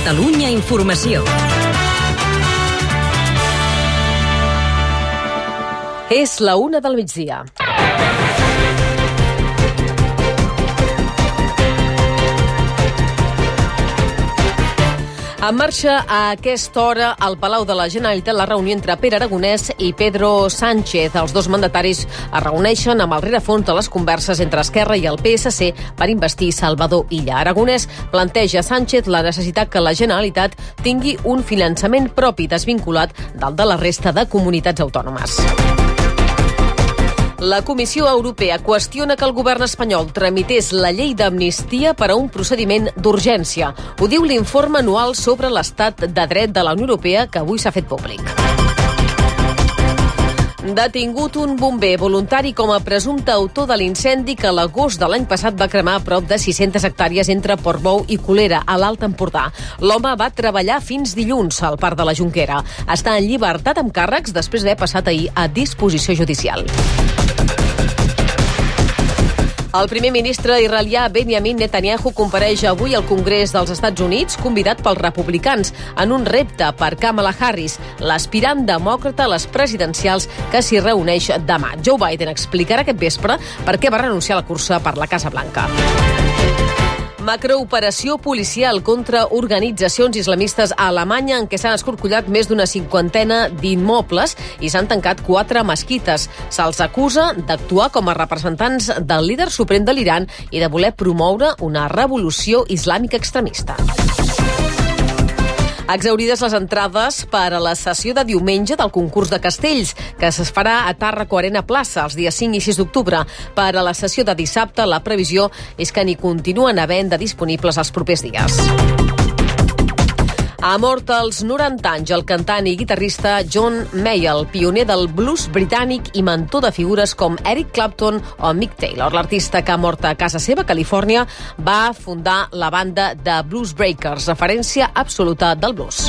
Catalunya Informació. És la 1 del migdia. En marxa a aquesta hora al Palau de la Generalitat la reunió entre Pere Aragonès i Pedro Sánchez. Els dos mandataris es reuneixen amb el rerefons de les converses entre Esquerra i el PSC per investir Salvador Illa. Aragonès planteja a Sánchez la necessitat que la Generalitat tingui un finançament propi desvinculat del de la resta de comunitats autònomes. La Comissió Europea qüestiona que el govern espanyol tramités la llei d'amnistia per a un procediment d'urgència. Ho diu l'informe anual sobre l'estat de dret de la Unió Europea que avui s'ha fet públic. Detingut un bomber voluntari com a presumpte autor de l'incendi que a l'agost de l'any passat va cremar a prop de 600 hectàrees entre Portbou i Colera, a l'Alt Empordà. L'home va treballar fins dilluns al Parc de la Jonquera. Està en llibertat amb càrrecs després d'haver passat ahir a disposició judicial. El primer ministre israelià Benjamin Netanyahu compareix avui al Congrés dels Estats Units, convidat pels republicans, en un repte per Kamala Harris, l'aspirant demòcrata a les presidencials que s'hi reuneix demà. Joe Biden explicarà aquest vespre per què va renunciar a la cursa per la Casa Blanca. Macrooperació policial contra organitzacions islamistes a Alemanya en què s'han escorcollat més d'una cinquantena d'immobles i s'han tancat 4 mesquites. Se'ls acusa d'actuar com a representants del líder suprem de l'Iran i de voler promoure una revolució islàmica extremista. Exhaurides les entrades per a la sessió de diumenge del concurs de castells, que es farà a Tàrraco Arena Plaça els dies 5 i 6 d'octubre. Per a la sessió de dissabte, la previsió és que n'hi continuen havent de disponibles els propers dies. Ha mort als 90 anys el cantant i guitarrista John Mayall, pioner del blues britànic i mentor de figures com Eric Clapton o Mick Taylor. L'artista que ha mort a casa seva, Califòrnia, va fundar la banda de Blues Breakers, referència absoluta del blues.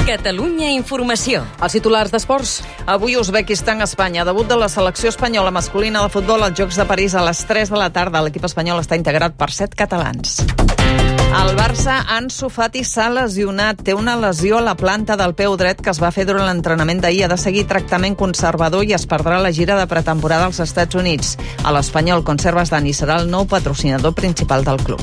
Catalunya Informació. Els titulars d'esports. Avui Uzbekistan, Espanya. Debut de la selecció espanyola masculina de futbol als Jocs de París a les 3 de la tarda. L'equip espanyol està integrat per 7 catalans. El Barça, Ansu Fati s'ha lesionat. Té una lesió a la planta del peu dret que es va fer durant l'entrenament d'ahir. Ha de seguir tractament conservador i es perdrà la gira de pretemporada als Estats Units. A l'Espanyol, Conservas Dani serà el nou patrocinador principal del club.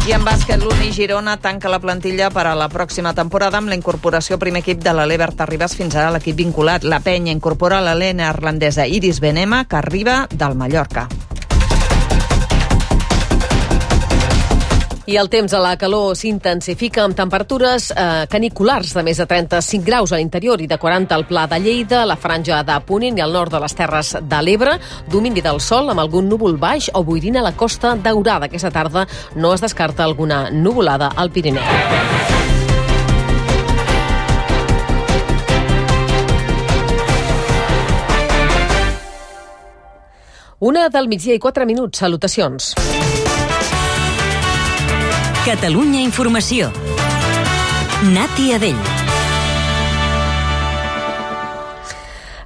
I en bàsquet, l'Uni Girona tanca la plantilla per a la pròxima temporada amb la incorporació al primer equip de l'Ale Berta Ribas, fins ara l'equip vinculat. La Penya incorpora la neerlandesa Iris Benema, que arriba del Mallorca. I el temps a la calor s'intensifica amb temperatures caniculars de més de 35 graus a l'interior i de 40 al Pla de Lleida, la franja de Ponent i al nord de les Terres de l'Ebre, domini del sol amb algun núvol baix o boirina a la Costa Daurada. Aquesta tarda no es descarta alguna nuvolada al Pirineu. Una del migdia i 4 minuts. Salutacions. Catalunya Informació. Nati Adell.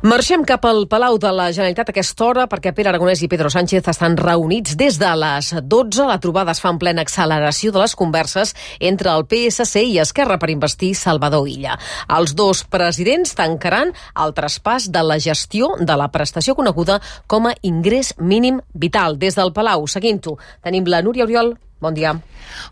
Marxem cap al Palau de la Generalitat a aquesta hora perquè Pere Aragonès i Pedro Sánchez estan reunits des de les 12. La trobada es fa en plena acceleració de les converses entre el PSC i Esquerra per investir Salvador Illa. Els dos presidents tancaran el traspàs de la gestió de la prestació coneguda com a ingrés mínim vital. Des del Palau, seguint-ho, tenim la Núria Oriol. Bon dia.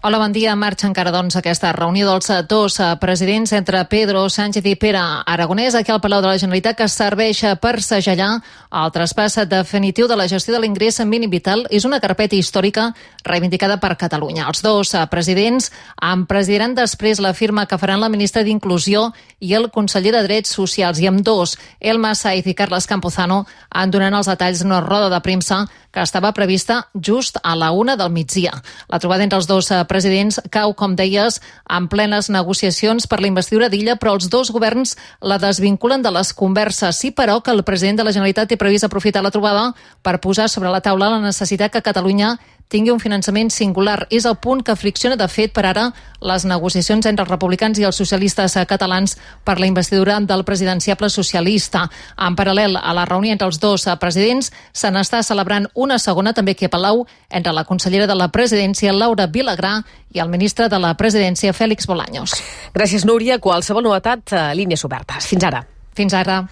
Hola, bon dia. Marxa encara, aquesta reunió dels dos presidents entre Pedro Sánchez i Pere Aragonès aquí al Palau de la Generalitat, que serveix per segellar el traspàs definitiu de la gestió de l'ingrés mínim vital. És una carpeta històrica reivindicada per Catalunya. Els dos presidents en presidiran després la firma que faran la ministra d'Inclusió i el conseller de Drets Socials. I amb dos, Elma Saiz i Carles Campuzano, en donaran els detalls d'una roda de premsa que estava prevista just a la 1 del migdia. La trobada entre els dos presidents cau, com deies, en plenes negociacions per la investidura d'Illa, però els dos governs la desvinculen de les converses. Sí, però, que el president de la Generalitat té previst aprofitar la trobada per posar sobre la taula la necessitat que Catalunya tingui un finançament singular. És el punt que fricciona, de fet, per ara, les negociacions entre els republicans i els socialistes catalans per la investidura del presidenciable socialista. En paral·lel a la reunió entre els dos presidents, se n'està celebrant una segona, també aquí a Palau, entre la consellera de la presidència, Laura Vilagrà, i el ministre de la presidència, Félix Bolaños. Gràcies, Núria. Qualsevol novetat, línies obertes. Fins ara. Fins ara.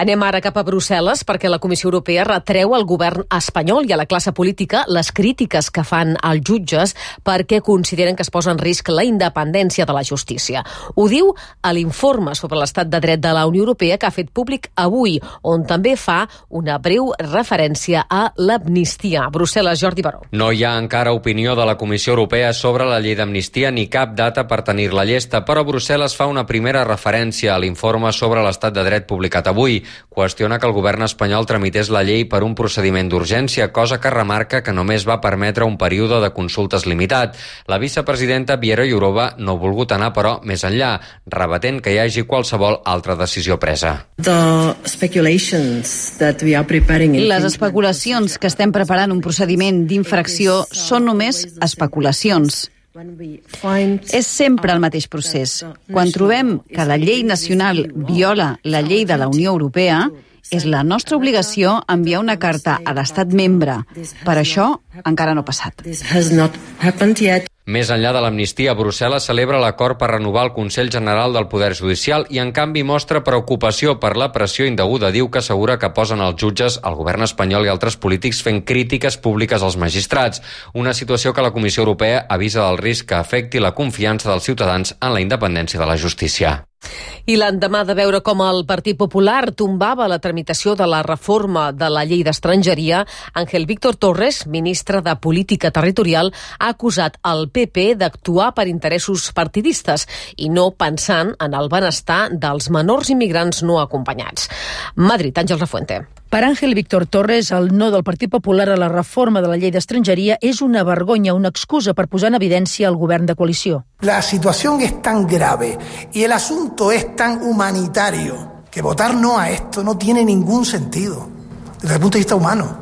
Anem ara cap a Brussel·les perquè la Comissió Europea retreu al govern espanyol i a la classe política les crítiques que fan als jutges perquè consideren que es posa en risc la independència de la justícia. Ho diu a l'informe sobre l'estat de dret de la Unió Europea que ha fet públic avui, on també fa una breu referència a l'amnistia. Brussel·les, Jordi Baró. No hi ha encara opinió de la Comissió Europea sobre la llei d'amnistia ni cap data per tenir-la llesta, però Brussel·les fa una primera referència a l'informe sobre l'estat de dret publicat avui. Qüestiona que el govern espanyol tramités la llei per un procediment d'urgència, cosa que remarca que només va permetre un període de consultes limitat. La vicepresidenta Věra Jourová no ha volgut anar, però, més enllà, rebatent que hi hagi qualsevol altra decisió presa. Les especulacions que estem preparant un procediment d'infracció són només especulacions. És sempre el mateix procés. Quan trobem que la llei nacional viola la llei de la Unió Europea, és la nostra obligació enviar una carta a l'estat membre. Per això encara no ha passat. Més enllà de l'amnistia, Brussel·les celebra l'acord per renovar el Consell General del Poder Judicial i, en canvi, mostra preocupació per la pressió indeguda. Diu que assegura que posen els jutges, el govern espanyol i altres polítics fent crítiques públiques als magistrats. Una situació que la Comissió Europea avisa del risc que afecti la confiança dels ciutadans en la independència de la justícia. I l'endemà de veure com el Partit Popular tombava la tramitació de la reforma de la llei d'estrangeria, Ángel Víctor Torres, ministre de Política Territorial, ha acusat el PP d'actuar per interessos partidistes i no pensant en el benestar dels menors immigrants no acompanyats. Madrid, Àngel Refuente. Per Ángel Víctor Torres, el no del Partit Popular a la reforma de la llei d'estrangeria és una vergonya, una excusa per posar en evidència el govern de coalició. La situación es tan grave y el asunto es tan humanitario que votar no a esto no tiene ningún sentido desde el punto de vista humano.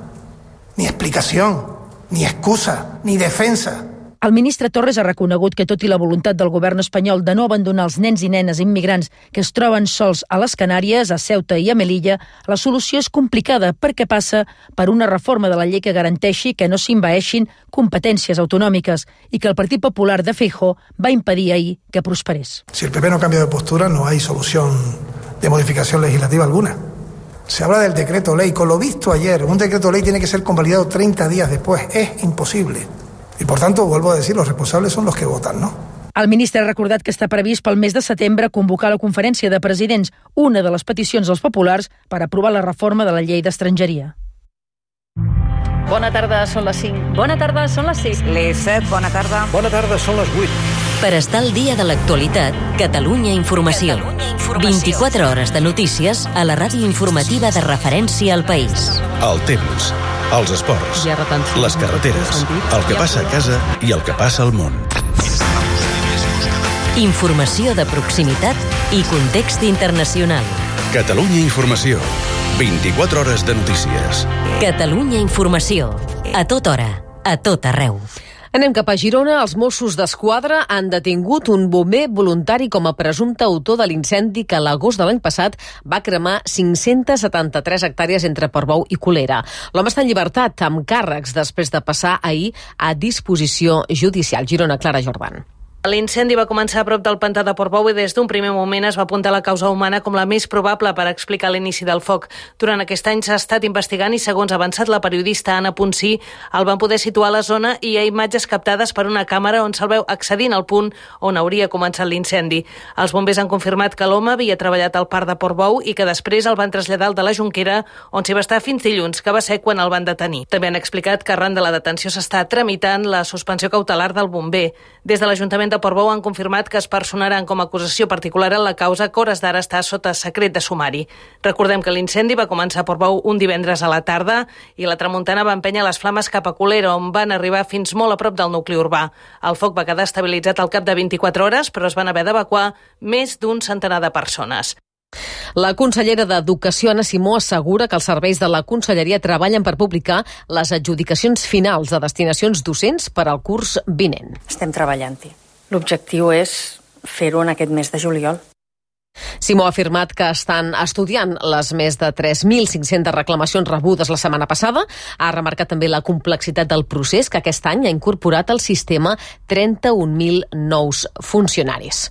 Ni explicación, ni excusa, ni defensa. El ministre Torres ha reconegut que, tot i la voluntat del govern espanyol de no abandonar els nens i nenes immigrants que es troben sols a les Canàries, a Ceuta i a Melilla, la solució és complicada perquè passa per una reforma de la llei que garanteixi que no s'envaeixin competències autonòmiques i que el Partit Popular de Feijóo va impedir ahir que prosperés. Si el PP no cambia de postura, no hay solución de modificación legislativa alguna. Se habla del decreto ley. Con lo visto ayer, un decreto ley tiene que ser convalidado 30 días después. Es imposible. I, per tant, vuelvo a decir, los responsables son los que votan, ¿no? El ministre ha recordat que està previst pel mes de setembre convocar la conferència de presidents, una de les peticions dels populars per aprovar la reforma de la llei d'estrangeria. Bona tarda, són les 5. Bona tarda, són les 6. Les 7, bona tarda. Bona tarda, són les 8. Per estar al dia de l'actualitat, Catalunya Informació. 24 hores de notícies a la ràdio informativa de referència al país. El temps, els esports, les carreteres, el que passa a casa i el que passa al món. Informació de proximitat i context internacional. Catalunya Informació. 24 hores de notícies. Catalunya Informació. A tota hora, a tot arreu. Anem cap a Girona. Els Mossos d'Esquadra han detingut un bomber voluntari com a presumpte autor de l'incendi que a l'agost de l'any passat va cremar 573 hectàrees entre Portbou i Colera. L'home està en llibertat amb càrrecs després de passar ahir a disposició judicial. Girona, Clara Jordan. L'incendi va començar a prop del pantà de Portbou i des d'un primer moment es va apuntar la causa humana com la més probable per explicar l'inici del foc. Durant aquest any s'ha estat investigant i, segons ha avançat la periodista Anna Ponsí, el van poder situar a la zona i hi ha imatges captades per una càmera on se'l veu accedint al punt on hauria començat l'incendi. Els bombers han confirmat que l'home havia treballat al parc de Portbou i que després el van traslladar al de la Jonquera, on s'hi va estar fins dilluns, que va ser quan el van detenir. També han explicat que arran de la detenció s'està tramitant la suspensió cautelar del bomber. Des de l'Ajuntament de Portbou han confirmat que es personaran com a acusació particular en la causa que hores d'ara està sota secret de sumari. Recordem que l'incendi va començar a Portbou un divendres a la tarda i la tramuntana va empènyer les flames cap a Colera, on van arribar fins molt a prop del nucli urbà. El foc va quedar estabilitzat al cap de 24 hores, però es van haver d'evacuar més d'un centenar de persones. La consellera d'Educació, Anna Simó, assegura que els serveis de la conselleria treballen per publicar les adjudicacions finals de destinacions docents per al curs vinent. Estem treballant-hi. L'objectiu és fer-ho en aquest mes de juliol. Simó ha afirmat que estan estudiant les més de 3.500 reclamacions rebudes la setmana passada. Ha remarcat també la complexitat del procés, que aquest any ha incorporat al sistema 31.000 nous funcionaris.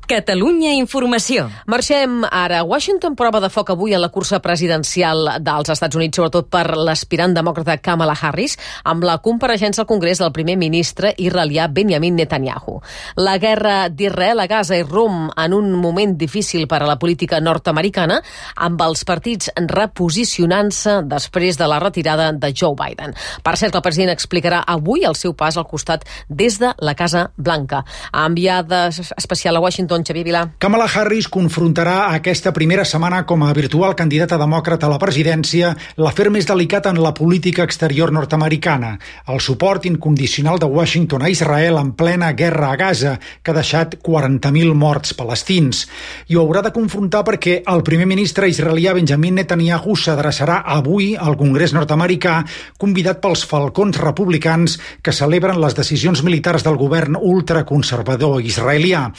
Catalunya Informació. Marxem ara. Washington prova de foc avui en la cursa presidencial dels Estats Units, sobretot per l'aspirant demòcrata Kamala Harris, amb la compareixença al Congrés del primer ministre israelià Benjamin Netanyahu. La guerra d'Israel a Gaza irromp en un moment difícil per a la política nord-americana, amb els partits reposicionant-se després de la retirada de Joe Biden. Per cert, el president explicarà avui el seu pas al costat des de la Casa Blanca. Enviada especial a Washington, Xavier Vilà. Kamala Harris confrontarà aquesta primera setmana com a virtual candidata demòcrata a la presidència l'afer més delicat en la política exterior nord-americana, el suport incondicional de Washington a Israel en plena guerra a Gaza, que ha deixat 40.000 morts palestins. I ho haurà de confrontar perquè el primer ministre israelià Benjamin Netanyahu s'adreçarà avui al Congrés nord-americà, convidat pels falcons republicans que celebren les decisions militars del govern ultraconservador israelià.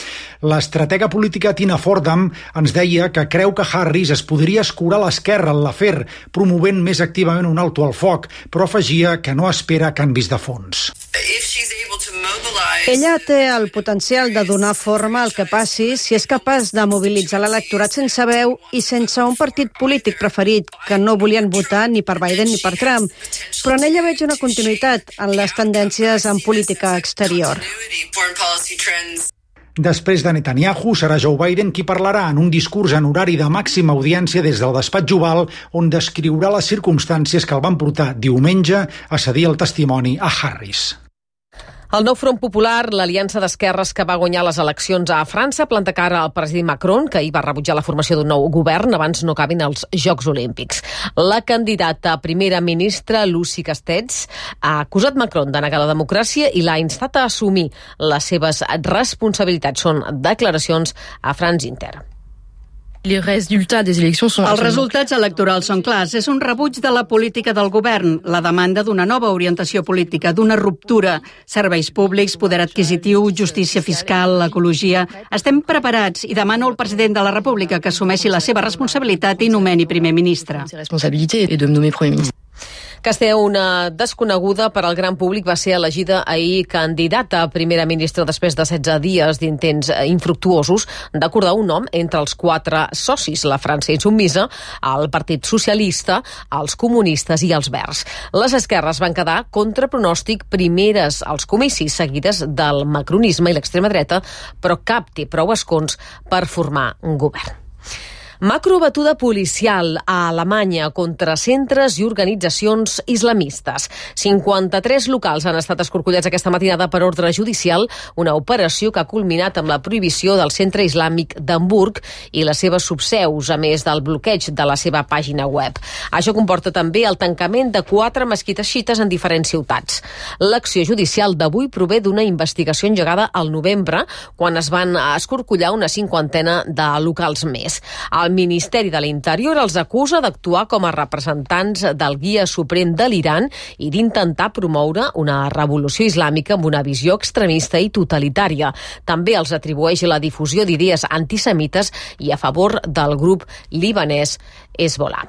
L'estratega política Tina Fordham ens deia que creu que Harris es podria escurar a l'esquerra en l'afer, promovent més activament un alto al foc, però afegia que no espera canvis de fons. Ella té el potencial de donar forma al que passi si és capaç de mobilitzar l'electorat sense veu i sense un partit polític preferit que no volien votar ni per Biden ni per Trump. Però en ella veig una continuïtat en les tendències en política exterior. Després de Netanyahu, serà Joe Biden qui parlarà en un discurs en horari de màxima audiència des del despatx Oval, on descriurà les circumstàncies que el van portar diumenge a cedir el testimoni a Harris. El nou Front Popular, l'aliança d'esquerres que va guanyar les eleccions a França, planta cara al president Macron, que ahir va rebutjar la formació d'un nou govern abans no acabin els Jocs Olímpics. La candidata a primera ministra, Lucie Castex, ha acusat Macron de negar la democràcia i l'ha instat a assumir les seves responsabilitats. Són declaracions a France Inter. Els resultats electorals són clars. És un rebuig de la política del govern, la demanda d'una nova orientació política, d'una ruptura. Serveis públics, poder adquisitiu, justícia fiscal, ecologia... Estem preparats i demano al president de la República que assumeixi la seva responsabilitat i nomeni primer ministre. Castell, una desconeguda per al gran públic, va ser elegida ahir candidata a primera ministra després de 16 dies d'intents infructuosos d'acordar un nom entre els 4 socis, la França insubmisa, el Partit Socialista, els comunistes i els Verds. Les esquerres van quedar contra pronòstic primeres als comicis, seguides del macronisme i l'extrema dreta, però cap té prou escons per formar un govern. Macrobatuda policial a Alemanya contra centres i organitzacions islamistes. 53 locals han estat escorcollats aquesta matinada per ordre judicial, una operació que ha culminat amb la prohibició del centre islàmic d'Hamburg i les seves subseus, a més del bloqueig de la seva pàgina web. Això comporta també el tancament de 4 mesquites xiites en diferents ciutats. L'acció judicial d'avui prové d'una investigació engegada al novembre, quan es van escorcollar una 50ena de locals més. El Ministeri de l'Interior els acusa d'actuar com a representants del guia suprem de l'Iran i d'intentar promoure una revolució islàmica amb una visió extremista i totalitària. També els atribueix la difusió d'idees antisemites i a favor del grup libanès Hezbollah.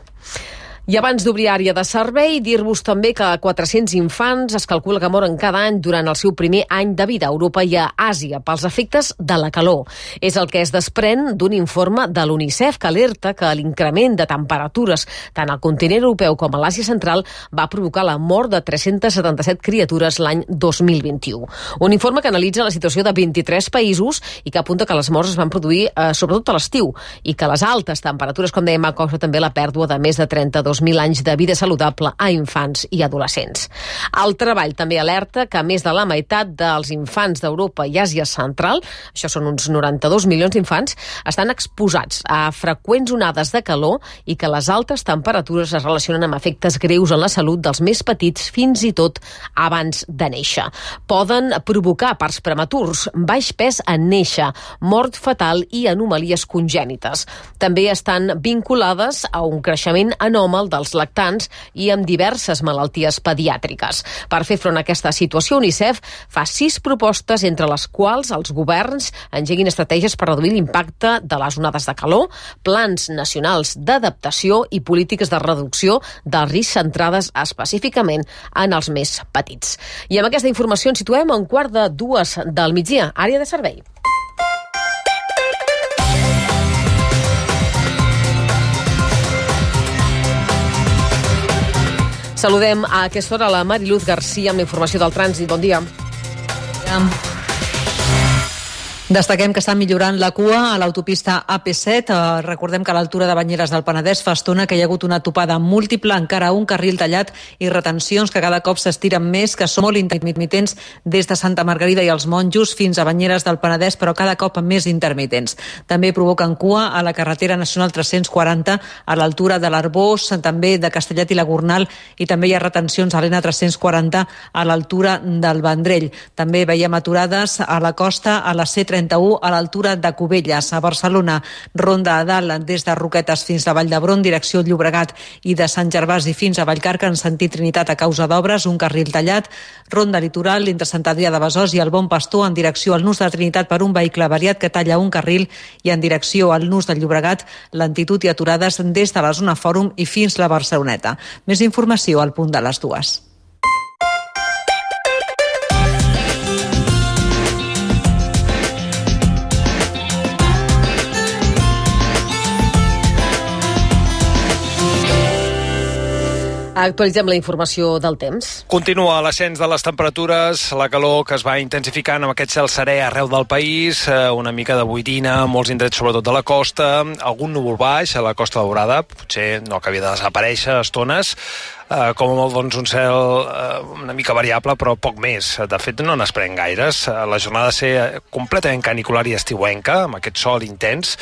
I abans d'obrir àrea de servei, dir-vos també que 400 infants es calcula que moren cada any durant el seu primer any de vida a Europa i a Àsia pels efectes de la calor. És el que es desprèn d'un informe de l'UNICEF que alerta que l'increment de temperatures tant al continent europeu com a l'Àsia central va provocar la mort de 377 criatures l'any 2021. Un informe que analitza la situació de 23 països i que apunta que les morts es van produir sobretot a l'estiu i que les altes temperatures, com dèiem, ha causat també la pèrdua de més de 32 2.000 anys de vida saludable a infants i adolescents. El treball també alerta que més de la meitat dels infants d'Europa i Àsia Central, això són uns 92 milions d'infants, estan exposats a freqüents onades de calor i que les altes temperatures es relacionen amb efectes greus en la salut dels més petits fins i tot abans de néixer. Poden provocar parts prematurs, baix pes en néixer, mort fatal i anomalies congènites. També estan vinculades a un creixement anòmal dels lactants i amb diverses malalties pediàtriques. Per fer front a aquesta situació, UNICEF fa 6 propostes, entre les quals els governs engeguin estratègies per reduir l'impacte de les onades de calor, plans nacionals d'adaptació i polítiques de reducció del risc centrades específicament en els més petits. I amb aquesta informació ens situem a 1:45 del migdia, àrea de servei. Saludem a aquesta hora la Mariluz Garcia amb la informació del trànsit. Bon dia. Destaquem que està millorant la cua a l'autopista AP7. Recordem que a l'altura de Banyeres del Penedès fa estona que hi ha hagut una topada múltiple, encara un carril tallat i retencions que cada cop s'estiren més, que són molt intermitents des de Santa Margarida i els Monjos fins a Banyeres del Penedès, però cada cop més intermitents. També provoquen cua a la carretera nacional 340 a l'altura de l'Arbós, també de Castellet i la Gornal, i també hi ha retencions a l'N340 a l'altura del Vendrell. També veiem aturades a la costa a la C31 a l'altura de Cubelles. A Barcelona, ronda a dalt des de Roquetes fins a Vall d'Hebron, direcció Llobregat, i de Sant Gervasi fins a Vallcarca en sentit Trinitat a causa d'obres, un carril tallat. Ronda litoral entre Sant Adrià de Besòs i el Bon Pastor en direcció al nus de Trinitat per un vehicle avariat que talla un carril, i en direcció al nus del Llobregat lentitud i aturades des de la zona Fòrum i fins la Barceloneta. Més informació al punt de les 2. Actualitzem la informació del temps. Continua l'ascens de les temperatures, la calor que es va intensificant amb aquest cel serè arreu del país, una mica de boirina, molts indrets sobretot de la costa, algun núvol baix a la Costa Daurada, potser no acabi de desaparèixer a estones, com a molt doncs, un cel una mica variable, però poc més. De fet, no n'esperem gaires. La jornada ha de ser completament canicular i estiuenca, amb aquest sol intens,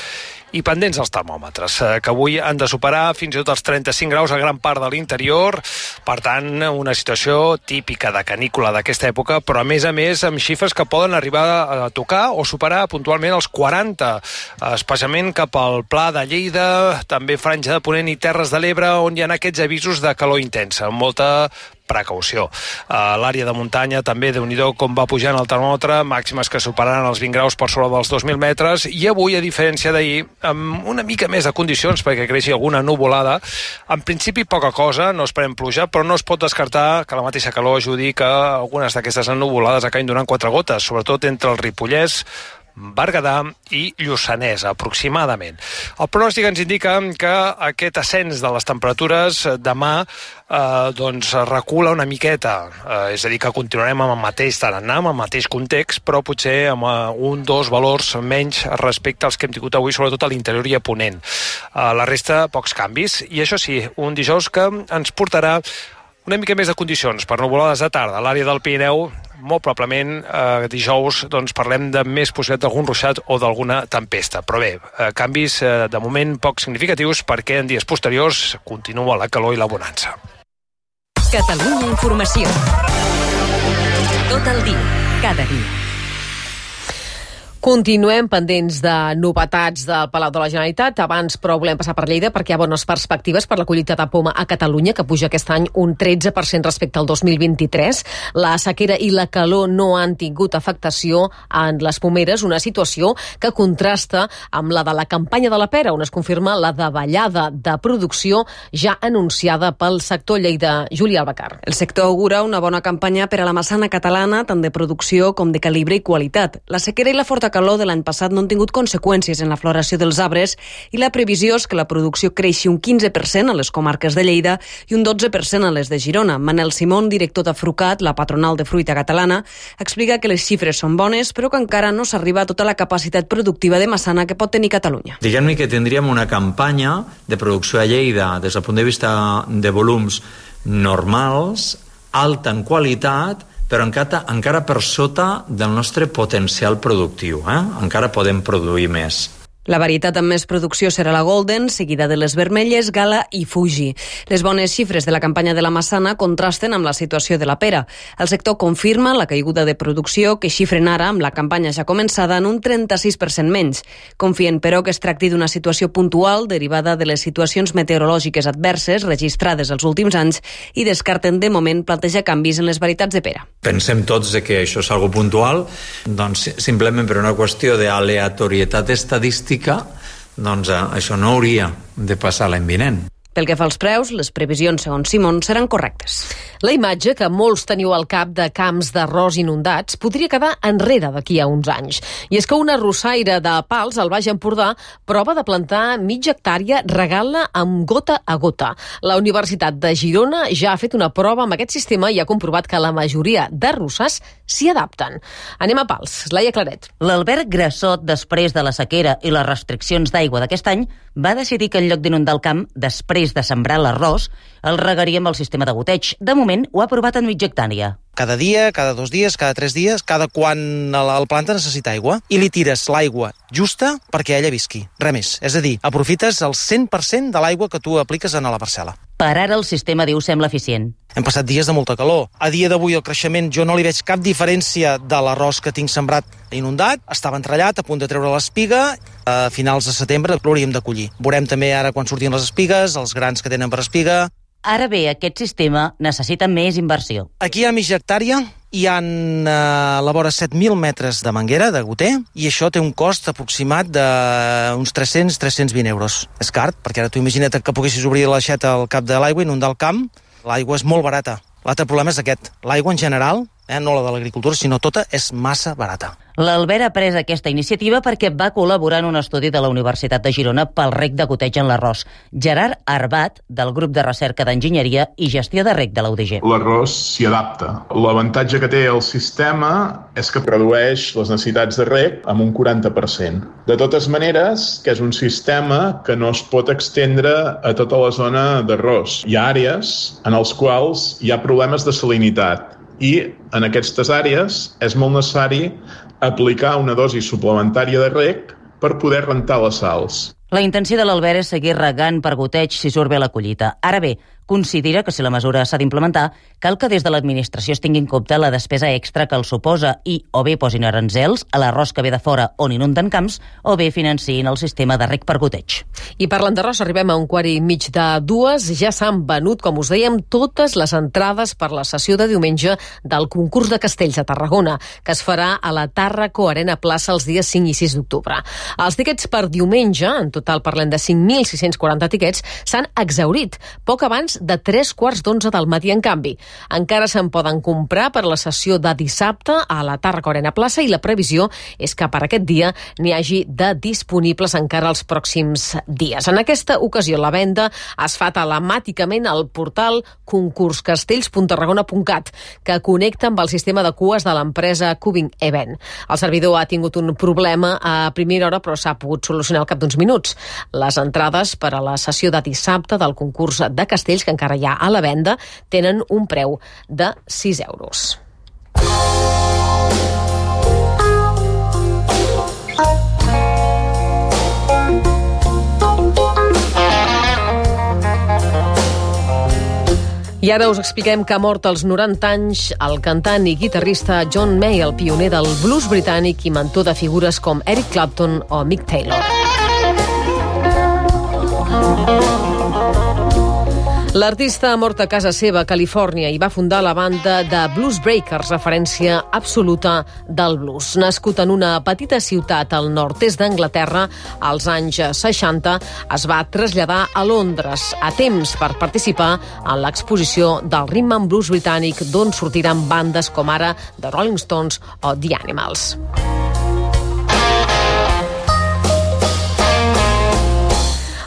i pendents els termòmetres, que avui han de superar fins i tot els 35 graus a gran part de l'interior. Per tant, una situació típica de canícula d'aquesta època, però a més amb xifres que poden arribar a tocar o superar puntualment els 40, especialment cap al Pla de Lleida, també Franja de Ponent i Terres de l'Ebre, on hi ha aquests avisos de calor intensa, amb molta precaució. A l'àrea de muntanya també, Déu-n'hi-do com va pujant el termòmetre, màximes que superaran els 20 graus per sobre dels 2.000 metres, i avui, a diferència d'ahir, amb una mica més de condicions perquè creixi alguna nuvolada. En principi poca cosa, no esperem pluja, però no es pot descartar que la mateixa calor ajudi que algunes d'aquestes nuvolades acabin donant 4 gotes, sobretot entre el Ripollès, Berguedà i Lluçanès, aproximadament. El pronòstic ens indica que aquest ascens de les temperatures demà doncs recula una miqueta, és a dir, que continuarem amb el mateix tarannà, amb el mateix context, però potser amb 1-2 valors menys respecte als que hem tingut avui, sobretot a l'interior i a Ponent. La resta, pocs canvis, i això sí, un dijous que ens portarà una mica més de condicions per nuvolades de tarda a l'àrea del Pirineu. Molt probablement dijous doncs, parlem de més possibilitat d'algun ruixat o d'alguna tempesta. Però bé, canvis de moment poc significatius perquè en dies posteriors continua la calor i la bonança. Catalunya Informació. Tot el dia, cada dia. Continuem pendents de novetats del Palau de la Generalitat. Abans, però, volem passar per Lleida perquè hi ha bones perspectives per la collita de poma a Catalunya, que puja aquest any un 13% respecte al 2023. La sequera i la calor no han tingut afectació en les pomeres, una situació que contrasta amb la de la campanya de la pera, on es confirma la davallada de producció ja anunciada pel sector Lleida. Júlia Albacar. El sector augura una bona campanya per a la massana catalana, tant de producció com de calibre i qualitat. La sequera i la forta molta calor de l'any passat no han tingut conseqüències en la floració dels arbres i la previsió és que la producció creixi un 15% a les comarques de Lleida i un 12% a les de Girona. Manel Simón, director de Frucat, la patronal de fruita catalana, explica que les xifres són bones però que encara no s'arriba a tota la capacitat productiva de massana que pot tenir Catalunya. Diguem-ne que tindríem una campanya de producció a Lleida des del punt de vista de volums normals, alta en qualitat, però encara per sota del nostre potencial productiu. Encara podem produir més. La varietat amb més producció serà la Golden, seguida de les vermelles, Gala i Fuji. Les bones xifres de la campanya de la massana contrasten amb la situació de la pera. El sector confirma la caiguda de producció que xifren ara, amb la campanya ja començada, en un 36% menys. Confien, però, que es tracti d'una situació puntual derivada de les situacions meteorològiques adverses registrades els últims anys i descarten de moment plantejar canvis en les varietats de pera. Pensem tots que això és algo puntual, doncs simplement per una qüestió d'aleatorietat estadística, doncs això no hauria de passar l'any vinent. Pel que fa als preus, les previsions, segons Simón, seran correctes. La imatge que molts teniu al cap de camps d'arròs inundats podria quedar enrere d'aquí a uns anys. I és que una arrossaire de Pals, al Baix Empordà, prova de plantar mitja hectàrea regant-la amb gota a gota. La Universitat de Girona ja ha fet una prova amb aquest sistema i ha comprovat que la majoria d'arrossars s'hi adapten. Anem a Pals. Laia Claret. L'Albert Grassot, després de la sequera i les restriccions d'aigua d'aquest any, va decidir que en lloc d'inundar el camp, després de sembrar l'arròs, el regaria amb el sistema de goteig. De moment ho ha provat en mitja hectàrea. Cada dia, cada 2 dies, cada 3 dies, cada quan el planta necessita aigua, i li tires l'aigua justa perquè ella visqui. Res més. És a dir, aprofites el 100% de l'aigua que tu apliques a la parcel·la. Per ara el sistema, diu, sembla eficient. Hem passat dies de molta calor. A dia d'avui el creixement jo no li veig cap diferència de l'arròs que tinc sembrat inundat. Estava entrellat, a punt de treure l'espiga. A finals de setembre l'hauríem de collir. Veurem també ara quan surtin les espigues, els grans que tenen per espiga. Ara bé, aquest sistema necessita més inversió. Aquí a mitja hectàrea hi ha a la vora 7.000 metres de manguera, de goter, i això té un cost aproximat d'uns 300-320 euros. És car, perquè ara tu imagina't que poguessis obrir l'aixeta al cap de l'aigua i inundar el camp. L'aigua és molt barata. L'altre problema és aquest. L'aigua en general, no la de l'agricultura, sinó tota, és massa barata. L'Albert ha pres aquesta iniciativa perquè va col·laborar en un estudi de la Universitat de Girona pel reg de goteig en l'arròs. Gerard Arbat, del grup de recerca d'enginyeria i gestió de reg de la UDG. L'arròs s'hi adapta. L'avantatge que té el sistema és que redueix les necessitats de reg amb un 40%. De totes maneres, que és un sistema que no es pot extendre a tota la zona d'arròs. Hi ha àrees en les quals hi ha problemes de salinitat i en aquestes àrees és molt necessari aplicar una dosi suplementària de reg per poder rentar les sals. La intenció de l'Albert és seguir regant per goteig si surt bé la collita. Ara bé, considera que si la mesura s'ha d'implementar, cal que des de l'administració es tingui en compte la despesa extra que el suposa i o bé posin aranzels a l'arròs que ve de fora on inunden camps o bé financin el sistema de reg per goteig. I parlant d'arròs, arribem a 1:15. Ja s'han venut, com us dèiem, totes les entrades per la sessió de diumenge del concurs de castells a Tarragona, que es farà a la Tàrraco Arena Plaça els dies 5 i 6 d'octubre. Els tiquets per diumenge, en total parlem de 5.640 tiquets, s'han exhaurit poc abans de 11:45 del matí. En canvi, encara se'n poden comprar per la sessió de dissabte a la Tàrraco Arena Plaça i la previsió és que per aquest dia n'hi hagi de disponibles encara els pròxims dies. En aquesta ocasió la venda es fa telemàticament al portal concurscastells.tarragona.cat, que connecta amb el sistema de cues de l'empresa Cubing Event. El servidor ha tingut un problema a primera hora, però s'ha pogut solucionar al cap d'uns minuts. Les entrades per a la sessió de dissabte del concurs de castells, que encara hi ha a la venda, tenen un preu de 6 euros. I ara us expliquem que ha mort als 90 anys el cantant i guitarrista John May, el pioner del blues britànic i mentor de figures com Eric Clapton o Mick Taylor. L'artista ha mort a casa seva, a Califòrnia, i va fundar la banda de Blues Breakers, referència absoluta del blues. Nascut en una petita ciutat al nord-est d'Anglaterra, als anys 60, es va traslladar a Londres a temps per participar en l'exposició del Rhythm and Blues britànic, d'on sortiran bandes com ara The Rolling Stones o The Animals.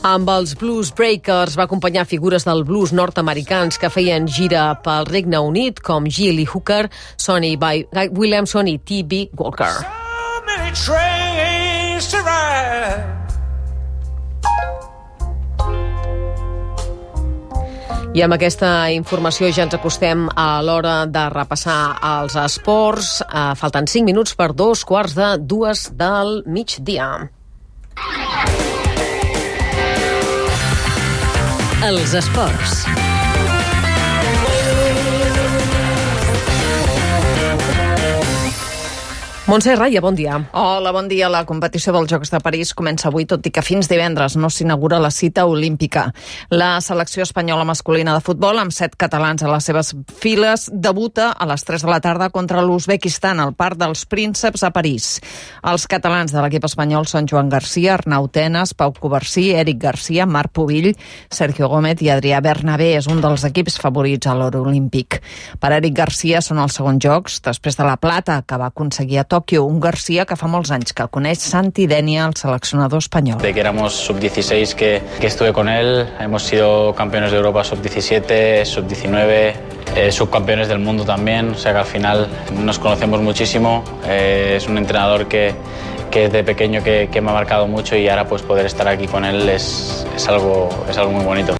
Amb els Blues Breakers va acompanyar figures del blues nord-americans que feien gira pel Regne Unit, com Gilly Hooker, Sonny Williamson i T.B. Walker. I amb aquesta informació ja ens acostem a l'hora de repassar els esports. Falten 5 minuts per 2:45 del migdia. Els esports. Montse Raya, bon dia. Hola, bon dia. La competició dels Jocs de París comença avui, tot i que fins divendres no s'inaugura la cita olímpica. La selecció espanyola masculina de futbol, amb 7 catalans a les seves files, debuta a les 3 de la tarda contra l'Uzbekistan al Parc dels Prínceps a París. Els catalans de l'equip espanyol són Joan Garcia, Arnau Tenas, Pau Covarsí, Eric Garcia, Marc Pubill, Sergio Gómez i Adrià Bernabé. És un dels equips favorits a l'or olímpic. Per Eric Garcia són els segons Jocs, després de la plata que va aconseguir a Tòquio, un Garcia que fa molts anys que coneix Santi Denia, el seleccionador espanyol. De que éramos sub-16 que estuve con él, hemos sido campeones de Europa sub-17, sub-19, subcampeones del mundo también, o sea que al final nos conocemos muchísimo, es un entrenador que desde pequeño que me ha marcado mucho y ahora pues poder estar aquí con él es algo muy bonito.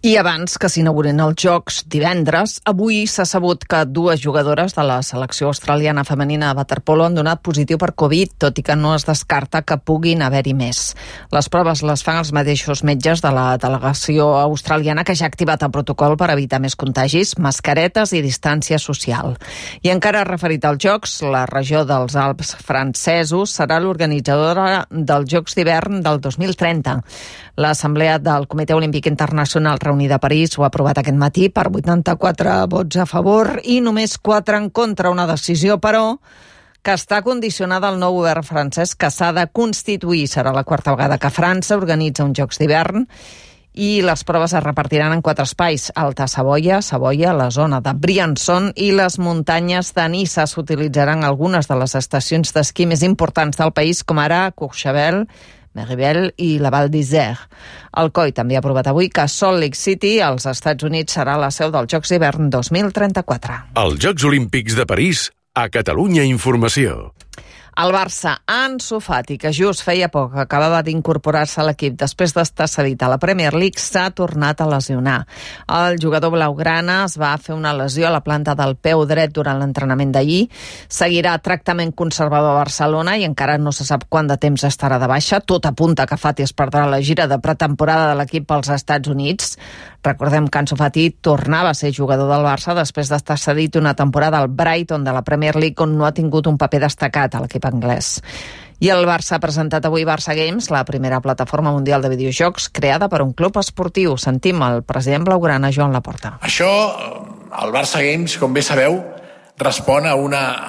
I abans que s'inaugurin els Jocs divendres, avui s'ha sabut que 2 jugadores de la selecció australiana femenina de waterpolo han donat positiu per Covid, tot i que no es descarta que puguin haver-hi més. Les proves les fan els mateixos metges de la delegació australiana, que ja ha activat el protocol per evitar més contagis, mascaretes i distància social. I encara referit als Jocs, la regió dels Alps francesos serà l'organitzadora dels Jocs d'hivern del 2030. L'Assemblea del Comitè Olímpic Internacional reunida a París ho ha aprovat aquest matí per 84 vots a favor i només 4 en contra. Una decisió, però, que està condicionada al nou govern francès, que s'ha de constituir. Serà la 4ª vegada que França organitza uns Jocs d'hivern i les proves es repartiran en 4 espais: Alta Savoia, la zona de Briançon i les muntanyes de Niça. S'utilitzaran algunes de les estacions d'esquí més importants del país, com ara Courchevel, Meribel i la Val d'Isère. El COI també ha aprovat avui que Salt Lake City, als Estats Units, serà la seu dels Jocs d'hivern 2034. Els Jocs Olímpics de París, a Catalunya Informació. El Barça, Ansu Fati, que just feia poc que acabava d'incorporar-se a l'equip després d'estar cedit a la Premier League, s'ha tornat a lesionar. El jugador blaugrana es va fer una lesió a la planta del peu dret durant l'entrenament d'ahir. Seguirà tractament conservador a Barcelona i encara no se sap quant de temps estarà de baixa. Tot apunta que Fati es perdrà la gira de pretemporada de l'equip als Estats Units. Recordem que Ansu Fati tornava a ser jugador del Barça després d'estar cedit una temporada al Brighton de la Premier League, on no ha tingut un paper destacat a l'equip anglès. I el Barça ha presentat avui Barça Games, la primera plataforma mundial de videojocs creada per un club esportiu. Sentim el president blaugrana, Joan Laporta. Això, el Barça Games, com bé sabeu, respon a una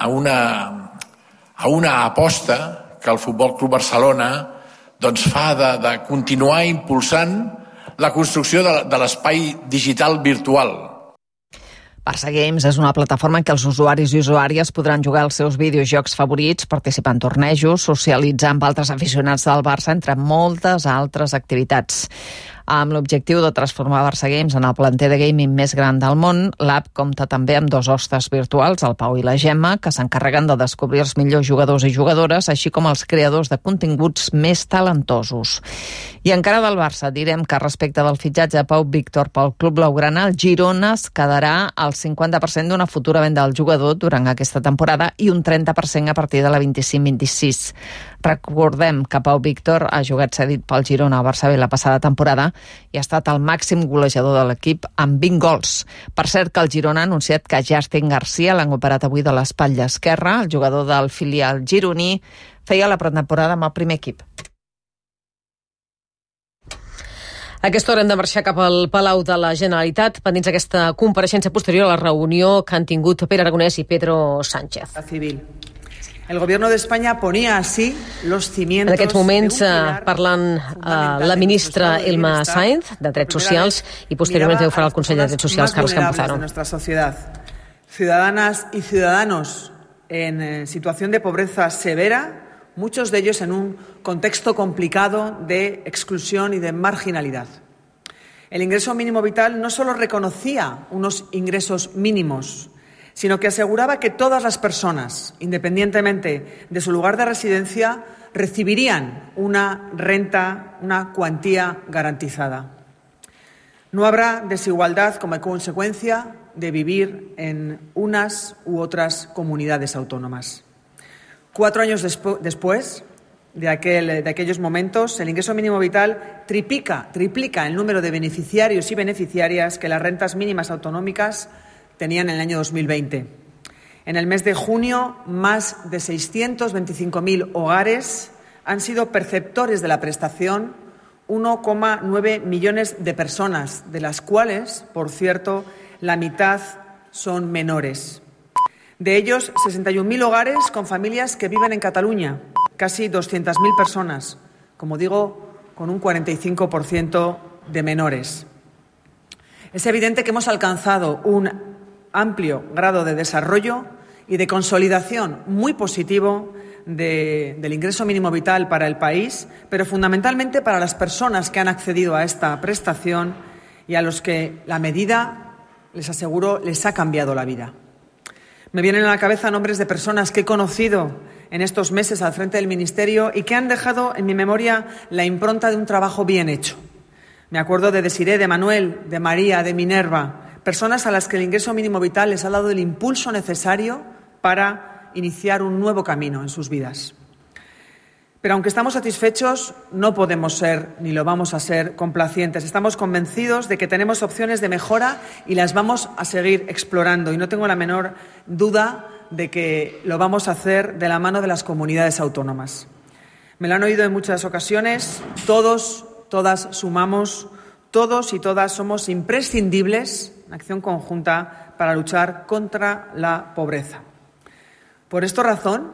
aposta que el Futbol Club Barcelona doncs, fa de continuar impulsant la construcció de l'espai digital virtual. Barça Games és una plataforma en què els usuaris i usuàries podran jugar els seus videojocs favorits, participar en tornejos, socialitzar amb altres aficionats del Barça, entre moltes altres activitats. Amb l'objectiu de transformar Barça Games en el planter de gaming més gran del món, l'app compta també amb 2 hostes virtuals, el Pau i la Gemma, que s'encarreguen de descobrir els millors jugadors i jugadores, així com els creadors de continguts més talentosos. I encara del Barça, direm que respecte del fitxatge de Pau Víctor pel club blaugrana, el Girona es quedarà al 50% d'una futura venda del jugador durant aquesta temporada i un 30% a partir de la 25-26. Recordem que Pau Víctor ha jugat cedit pel Girona a Barça B la passada temporada i ha estat el màxim golejador de l'equip amb 20 gols. Per cert, que el Girona ha anunciat que Justin Garcia l'han operat avui de l'espatlla esquerra. El jugador del filial gironí feia la pretemporada amb el primer equip. A aquesta hora hem de marxar cap al Palau de la Generalitat, pendents d'aquesta compareixença posterior a la reunió que han tingut Pere Aragonès i Pedro Sánchez. El gobierno de España ponía así los cimientos. En aquests moments parlant la ministra Elma Sáenz de Drets Socials i posteriorment ho farà el conseller de Drets Socials, Carles Campuzano. De nuestra sociedad. Ciudadanas y ciudadanos en situación de pobreza severa muchos de ellos en un contexto complicado de exclusión y de marginalidad. El ingreso mínimo vital no solo reconocía unos ingresos mínimos, sino que aseguraba que todas las personas, independientemente de su lugar de residencia, recibirían una renta, una cuantía garantizada. No habrá desigualdad como consecuencia de vivir en unas u otras comunidades autónomas. 4 años después de aquellos momentos, el ingreso mínimo vital triplica el número de beneficiarios y beneficiarias que las rentas mínimas autonómicas tenían en el año 2020. En el mes de junio, más de 625.000 hogares han sido perceptores de la prestación, 1,9 millones de personas, de las cuales, por cierto, la mitad son menores. De ellos, 61.000 hogares con familias que viven en Cataluña, casi 200.000 personas, como digo, con un 45% de menores. Es evidente que hemos alcanzado un amplio grado de desarrollo y de consolidación muy positivo del ingreso mínimo vital para el país, pero fundamentalmente para las personas que han accedido a esta prestación y a los que la medida, les aseguro, les ha cambiado la vida. Me vienen a la cabeza nombres de personas que he conocido en estos meses al frente del Ministerio y que han dejado en mi memoria la impronta de un trabajo bien hecho. Me acuerdo de Desiré, de Manuel, de María, de Minerva, personas a las que el ingreso mínimo vital les ha dado el impulso necesario para iniciar un nuevo camino en sus vidas. Pero aunque estamos satisfechos, no podemos ser, ni lo vamos a ser, complacientes. Estamos convencidos de que tenemos opciones de mejora y las vamos a seguir explorando. Y no tengo la menor duda de que lo vamos a hacer de la mano de las comunidades autónomas. Me lo han oído en muchas ocasiones. Todos, todas sumamos, todos y todas somos imprescindibles en acción conjunta para luchar contra la pobreza. Por esta razón,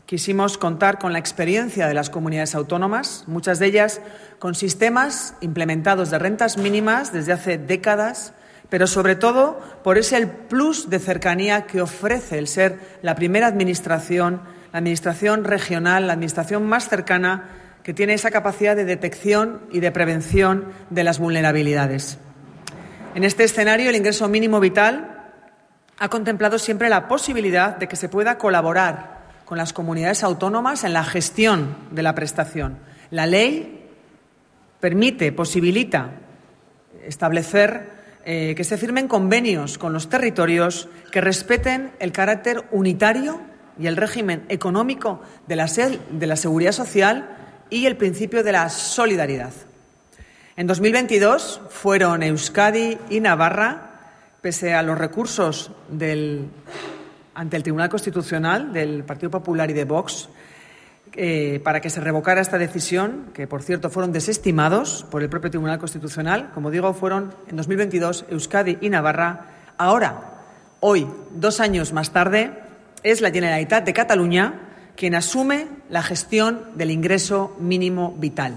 quisimos contar con la experiencia de las comunidades autónomas, muchas de ellas con sistemas implementados de rentas mínimas desde hace décadas, pero sobre todo por ese plus de cercanía que ofrece el ser la primera administración, la administración regional, la administración más cercana, que tiene esa capacidad de detección y de prevención de las vulnerabilidades. En este escenario, el ingreso mínimo vital ha contemplado siempre la posibilidad de que se pueda colaborar con las comunidades autónomas en la gestión de la prestación. La ley posibilita establecer que se firmen convenios con los territorios que respeten el carácter unitario y el régimen económico de la seguridad social y el principio de la solidaridad. En 2022 fueron Euskadi y Navarra, pese a los recursos ante el Tribunal Constitucional del Partido Popular y de Vox, para que se revocara esta decisión, que por cierto fueron desestimados por el propio Tribunal Constitucional. Como digo, fueron en 2022 Euskadi y Navarra. Ahora, hoy, 2 años más tarde, es la Generalitat de Cataluña quien asume la gestión del ingreso mínimo vital.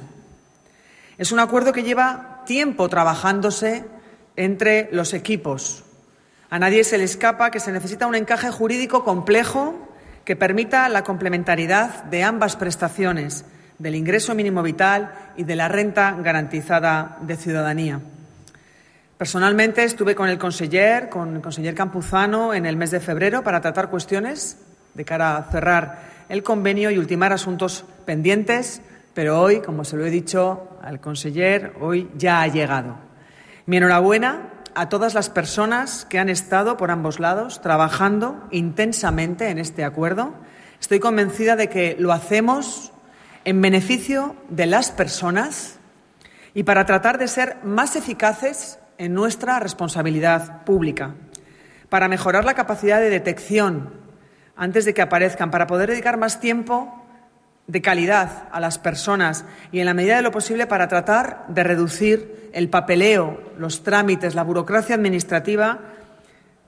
Es un acuerdo que lleva tiempo trabajándose entre los equipos. A nadie se le escapa que se necesita un encaje jurídico complejo que permita la complementariedad de ambas prestaciones, del ingreso mínimo vital y de la renta garantizada de ciudadanía. Personalmente estuve con el conseller Campuzano en el mes de febrero para tratar cuestiones de cara a cerrar el convenio y ultimar asuntos pendientes, pero hoy, como se lo he dicho al conseller, hoy ya ha llegado. Mi enhorabuena a todas las personas que han estado por ambos lados trabajando intensamente en este acuerdo. Estoy convencida de que lo hacemos en beneficio de las personas y para tratar de ser más eficaces en nuestra responsabilidad pública, para mejorar la capacidad de detección antes de que aparezcan, para poder dedicar más tiempo de calidad a las personas y, en la medida de lo posible, para tratar de reducir el papeleo, los trámites, la burocracia administrativa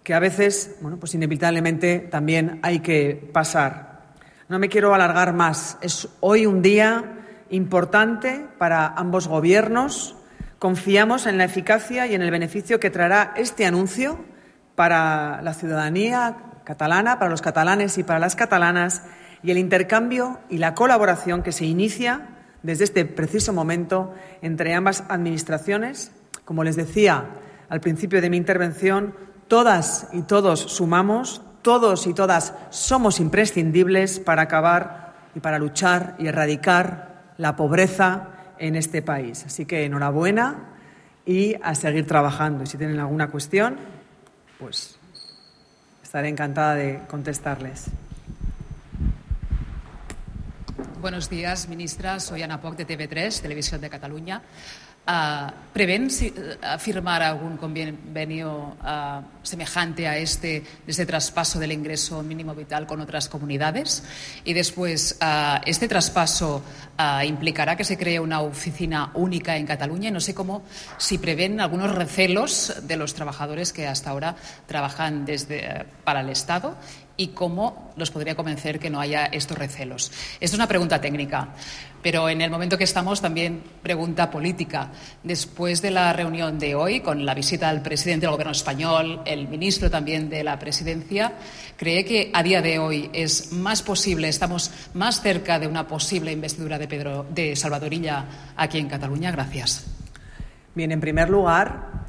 que a veces, pues inevitablemente también hay que pasar. No me quiero alargar más. Es hoy un día importante para ambos gobiernos. Confiamos en la eficacia y en el beneficio que traerá este anuncio para la ciudadanía catalana, para los catalanes y para las catalanas, y el intercambio y la colaboración que se inicia desde este preciso momento entre ambas administraciones. Como les decía al principio de mi intervención, todas y todos sumamos, todos y todas somos imprescindibles para acabar y para luchar y erradicar la pobreza en este país. Así que enhorabuena y a seguir trabajando. Y si tienen alguna cuestión, pues estaré encantada de contestarles. Buenos días, ministra. Soy Ana Poch de TV3, Televisión de Cataluña. ¿Prevén firmar algún convenio semejante a de este traspaso del ingreso mínimo vital con otras comunidades? Y después, ¿este traspaso implicará que se cree una oficina única en Cataluña? No sé si prevén algunos recelos de los trabajadores que hasta ahora trabajan para el Estado y cómo los podría convencer que no haya estos recelos. Esto es una pregunta técnica, pero en el momento que estamos también pregunta política. Después de la reunión de hoy, con la visita del presidente del Gobierno español, el ministro también de la Presidencia, ¿cree que a día de hoy es más posible, estamos más cerca de una posible investidura de Salvador Illa aquí en Cataluña? Gracias. Bien, en primer lugar,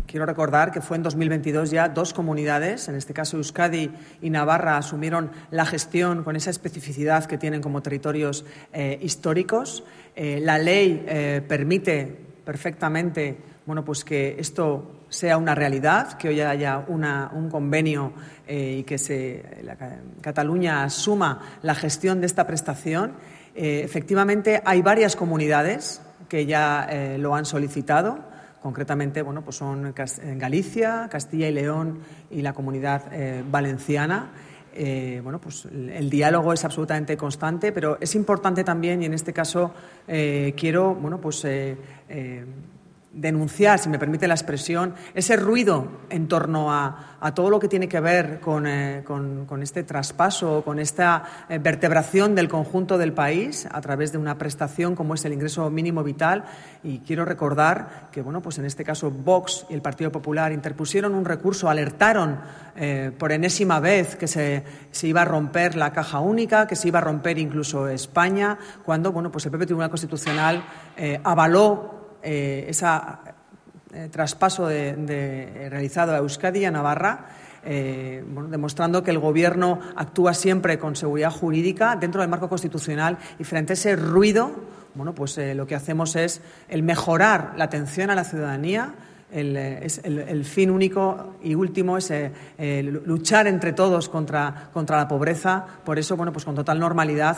quiero recordar que fue en 2022 ya 2 comunidades, en este caso Euskadi y Navarra, asumieron la gestión con esa especificidad que tienen como territorios históricos. La ley permite perfectamente pues que esto sea una realidad, que hoy haya un convenio y que Cataluña asuma la gestión de esta prestación. Efectivamente, hay varias comunidades que ya lo han solicitado. Concretamente, pues son Galicia, Castilla y León y la Comunidad Valenciana. Pues el diálogo es absolutamente constante, pero es importante también, y en este caso quiero, denunciar, si me permite la expresión, ese ruido en torno a todo lo que tiene que ver con este traspaso, con esta vertebración del conjunto del país a través de una prestación como es el ingreso mínimo vital. Y quiero recordar que, pues en este caso Vox y el Partido Popular interpusieron un recurso, alertaron por enésima vez que se iba a romper la caja única, que se iba a romper incluso España, cuando pues el propio Tribunal Constitucional avaló ese traspaso realizado a Euskadi y a Navarra, demostrando que el Gobierno actúa siempre con seguridad jurídica dentro del marco constitucional, y frente a ese ruido, lo que hacemos es el mejorar la atención a la ciudadanía. El fin único y último es luchar entre todos contra la pobreza. Por eso, pues con total normalidad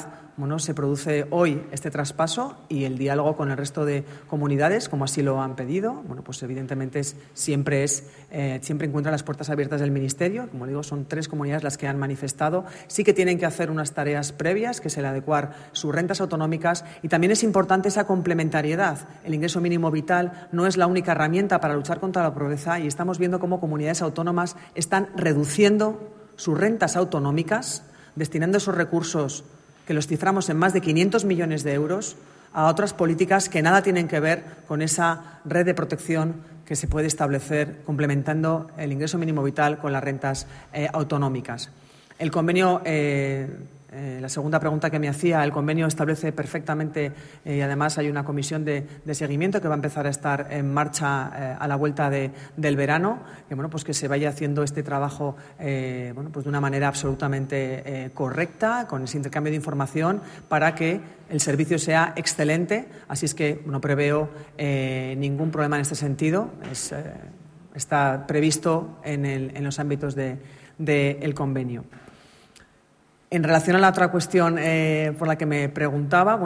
se produce hoy este traspaso, y el diálogo con el resto de comunidades, como así lo han pedido, pues evidentemente siempre encuentra las puertas abiertas del Ministerio. Como digo, son 3 comunidades las que han manifestado. Sí que tienen que hacer unas tareas previas, que es el adecuar sus rentas autonómicas, y también es importante esa complementariedad. El ingreso mínimo vital no es la única herramienta para luchar contra la pobreza, y estamos viendo cómo comunidades autónomas están reduciendo sus rentas autonómicas, destinando esos recursos, que los ciframos en más de 500 millones de euros, a otras políticas que nada tienen que ver con esa red de protección que se puede establecer complementando el ingreso mínimo vital con las rentas autonómicas. El convenio, la segunda pregunta que me hacía, el convenio establece perfectamente, y además hay una comisión de seguimiento que va a empezar a estar en marcha a la vuelta del verano, que se vaya haciendo este trabajo de una manera absolutamente correcta, con ese intercambio de información, para que el servicio sea excelente. Así es que no preveo ningún problema en este sentido. Está previsto en los ámbitos del convenio. En relación a la otra cuestión por la que me preguntaba,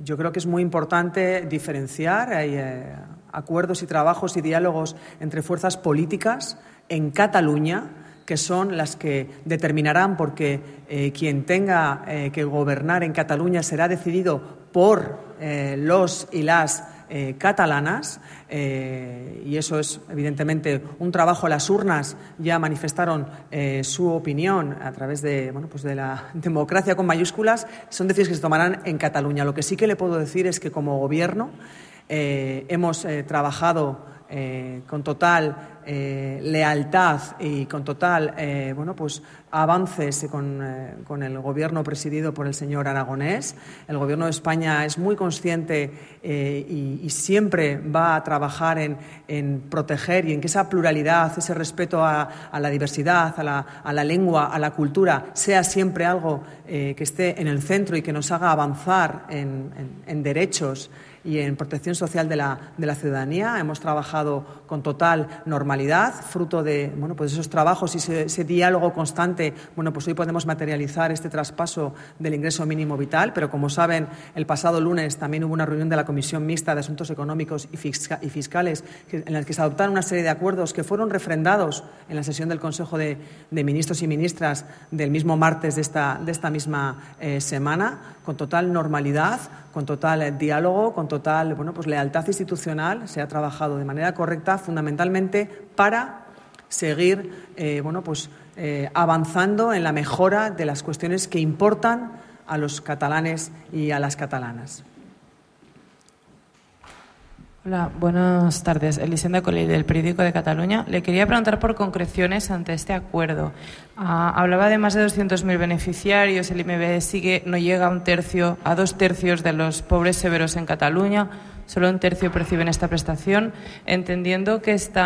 yo creo que es muy importante diferenciar. Hay acuerdos y trabajos y diálogos entre fuerzas políticas en Cataluña, que son las que determinarán, porque quien tenga que gobernar en Cataluña será decidido por los y las catalanas, y eso es evidentemente un trabajo. Las urnas ya manifestaron su opinión a través de la democracia con mayúsculas. Son decisiones que se tomarán en Cataluña. Lo que sí que le puedo decir es que como Gobierno hemos trabajado con total lealtad y con total avances con el gobierno presidido por el señor Aragonés. El gobierno de España es muy consciente y siempre va a trabajar en proteger y en que esa pluralidad, ese respeto a la diversidad, a la lengua, a la cultura, sea siempre algo que esté en el centro y que nos haga avanzar en derechos y en protección social de la ciudadanía. Hemos trabajado con total normalidad, fruto de esos trabajos y ese diálogo constante. Hoy podemos materializar este traspaso del ingreso mínimo vital, pero como saben, el pasado lunes también hubo una reunión de la Comisión Mixta de Asuntos Económicos y Fiscales en la que se adoptaron una serie de acuerdos que fueron refrendados en la sesión del Consejo de Ministros y Ministras del mismo martes de esta misma semana, con total normalidad, con total diálogo, con total lealtad institucional. Se ha trabajado de manera correcta, fundamentalmente para seguir avanzando en la mejora de las cuestiones que importan a los catalanes y a las catalanas. Hola, buenas tardes. Elisenda Colell, del Periódico de Cataluña. Le quería preguntar por concreciones ante este acuerdo. Hablaba de más de 200.000 beneficiarios. El IMB no llega a 2/3 de los pobres severos en Cataluña. Solo 1/3 perciben esta prestación. Entendiendo que este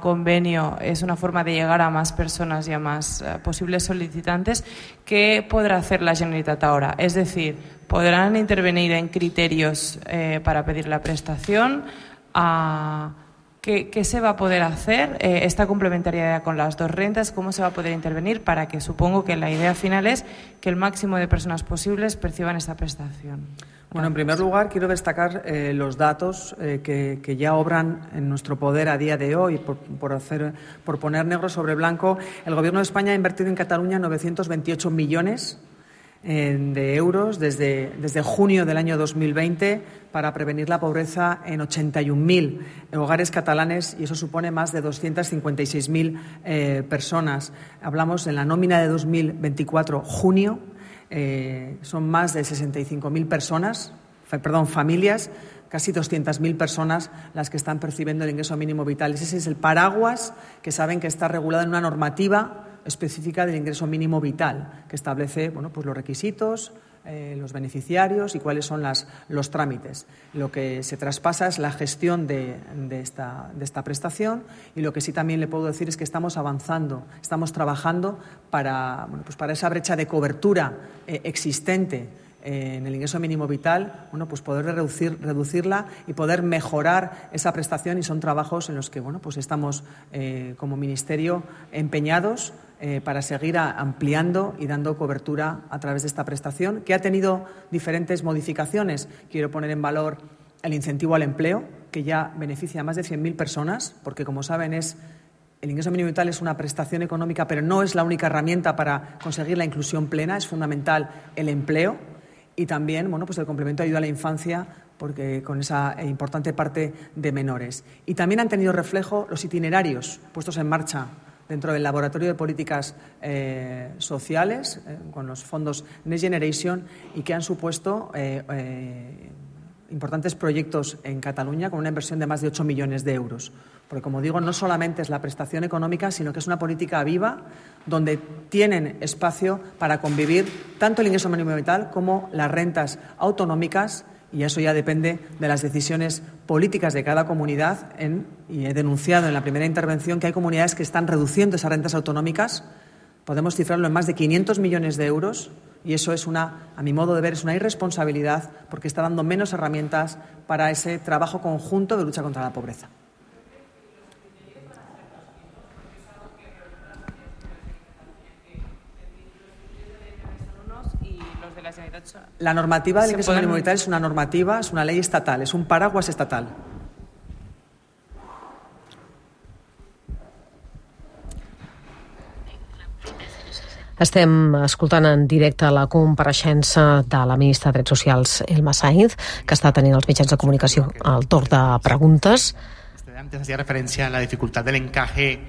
convenio es una forma de llegar a más personas y a más posibles solicitantes, ¿qué podrá hacer la Generalitat ahora? Es decir, ¿podrán intervenir en criterios para pedir la prestación? ¿Qué se va a poder hacer? Esta complementariedad con las dos rentas, ¿cómo se va a poder intervenir para que, supongo que la idea final es que el máximo de personas posibles perciban esta prestación? En primer lugar, quiero destacar los datos que ya obran en nuestro poder a día de hoy. Por poner negro sobre blanco, el Gobierno de España ha invertido en Cataluña 928 millones de euros desde junio del año 2020 para prevenir la pobreza en 81.000 hogares catalanes, y eso supone más de 256.000 personas. Hablamos en la nómina de 2024, junio, son más de 65.000 familias, casi 200.000 personas las que están percibiendo el ingreso mínimo vital. Ese es el paraguas que saben que está regulado en una normativa específica del ingreso mínimo vital, que establece los requisitos, los beneficiarios y cuáles son los trámites. Lo que se traspasa es la gestión de esta prestación, y lo que sí también le puedo decir es que estamos avanzando, estamos trabajando para esa brecha de cobertura existente en el ingreso mínimo vital, poder reducirla y poder mejorar esa prestación, y son trabajos en los que estamos como Ministerio empeñados para seguir ampliando y dando cobertura a través de esta prestación, que ha tenido diferentes modificaciones. Quiero poner en valor el incentivo al empleo, que ya beneficia a más de 100.000 personas, porque, como saben, el ingreso mínimo vital es una prestación económica, pero no es la única herramienta para conseguir la inclusión plena. Es fundamental el empleo y también el complemento de ayuda a la infancia, porque con esa importante parte de menores. Y también han tenido reflejo los itinerarios puestos en marcha dentro del Laboratorio de Políticas Sociales, con los fondos Next Generation, y que han supuesto importantes proyectos en Cataluña con una inversión de más de 8 millones de euros. Porque, como digo, no solamente es la prestación económica, sino que es una política viva donde tienen espacio para convivir tanto el ingreso mínimo vital como las rentas autonómicas, y eso ya depende de las decisiones políticas de cada comunidad. Y he denunciado en la primera intervención que hay comunidades que están reduciendo esas rentas autonómicas. Podemos cifrarlo en más de 500 millones de euros, y eso es a mi modo de ver, es una irresponsabilidad, porque está dando menos herramientas para ese trabajo conjunto de lucha contra la pobreza. La normativa del ingreso mínimo vital es una normativa, es una ley estatal, es un paraguas estatal. Estem escoltant en directe la compareixença de la ministra de Drets Socials, Elma Sainz, que està tenint els mitjans de comunicació al torn de preguntes. Antes hacía referencia a la dificultad del encaje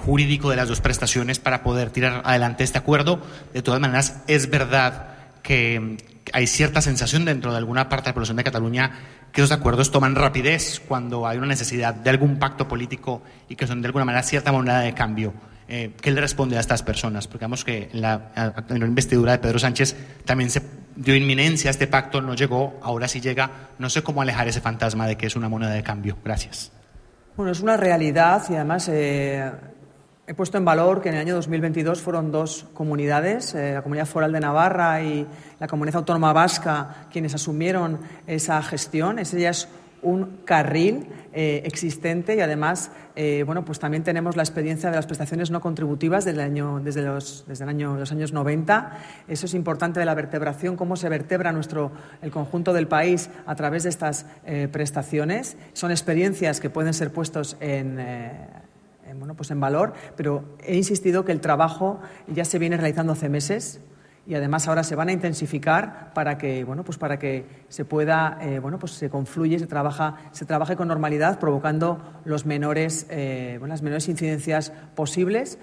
jurídico de las dos prestaciones para poder tirar adelante este acuerdo. De todas maneras, es verdad que hay cierta sensación dentro de alguna parte de la población de Cataluña que esos acuerdos toman rapidez cuando hay una necesidad de algún pacto político y que son de alguna manera cierta moneda de cambio. ¿Qué le responde a estas personas? Porque vemos que en la investidura de Pedro Sánchez también se dio inminencia a este pacto, no llegó, ahora sí llega. No sé cómo alejar ese fantasma de que es una moneda de cambio. Gracias. Bueno, es una realidad y además he puesto en valor que en el año 2022 fueron dos comunidades, la Comunidad Foral de Navarra y la Comunidad Autónoma Vasca, quienes asumieron esa gestión. Ese ya es un carril existente y además pues también tenemos la experiencia de las prestaciones no contributivas desde los años 90. Eso es importante de la vertebración, cómo se vertebra el conjunto del país a través de estas prestaciones. Son experiencias que pueden ser puestos en valor, pero he insistido que el trabajo ya se viene realizando hace meses y además ahora se van a intensificar para que se pueda se confluye, se trabaje con normalidad, provocando las menores incidencias posibles.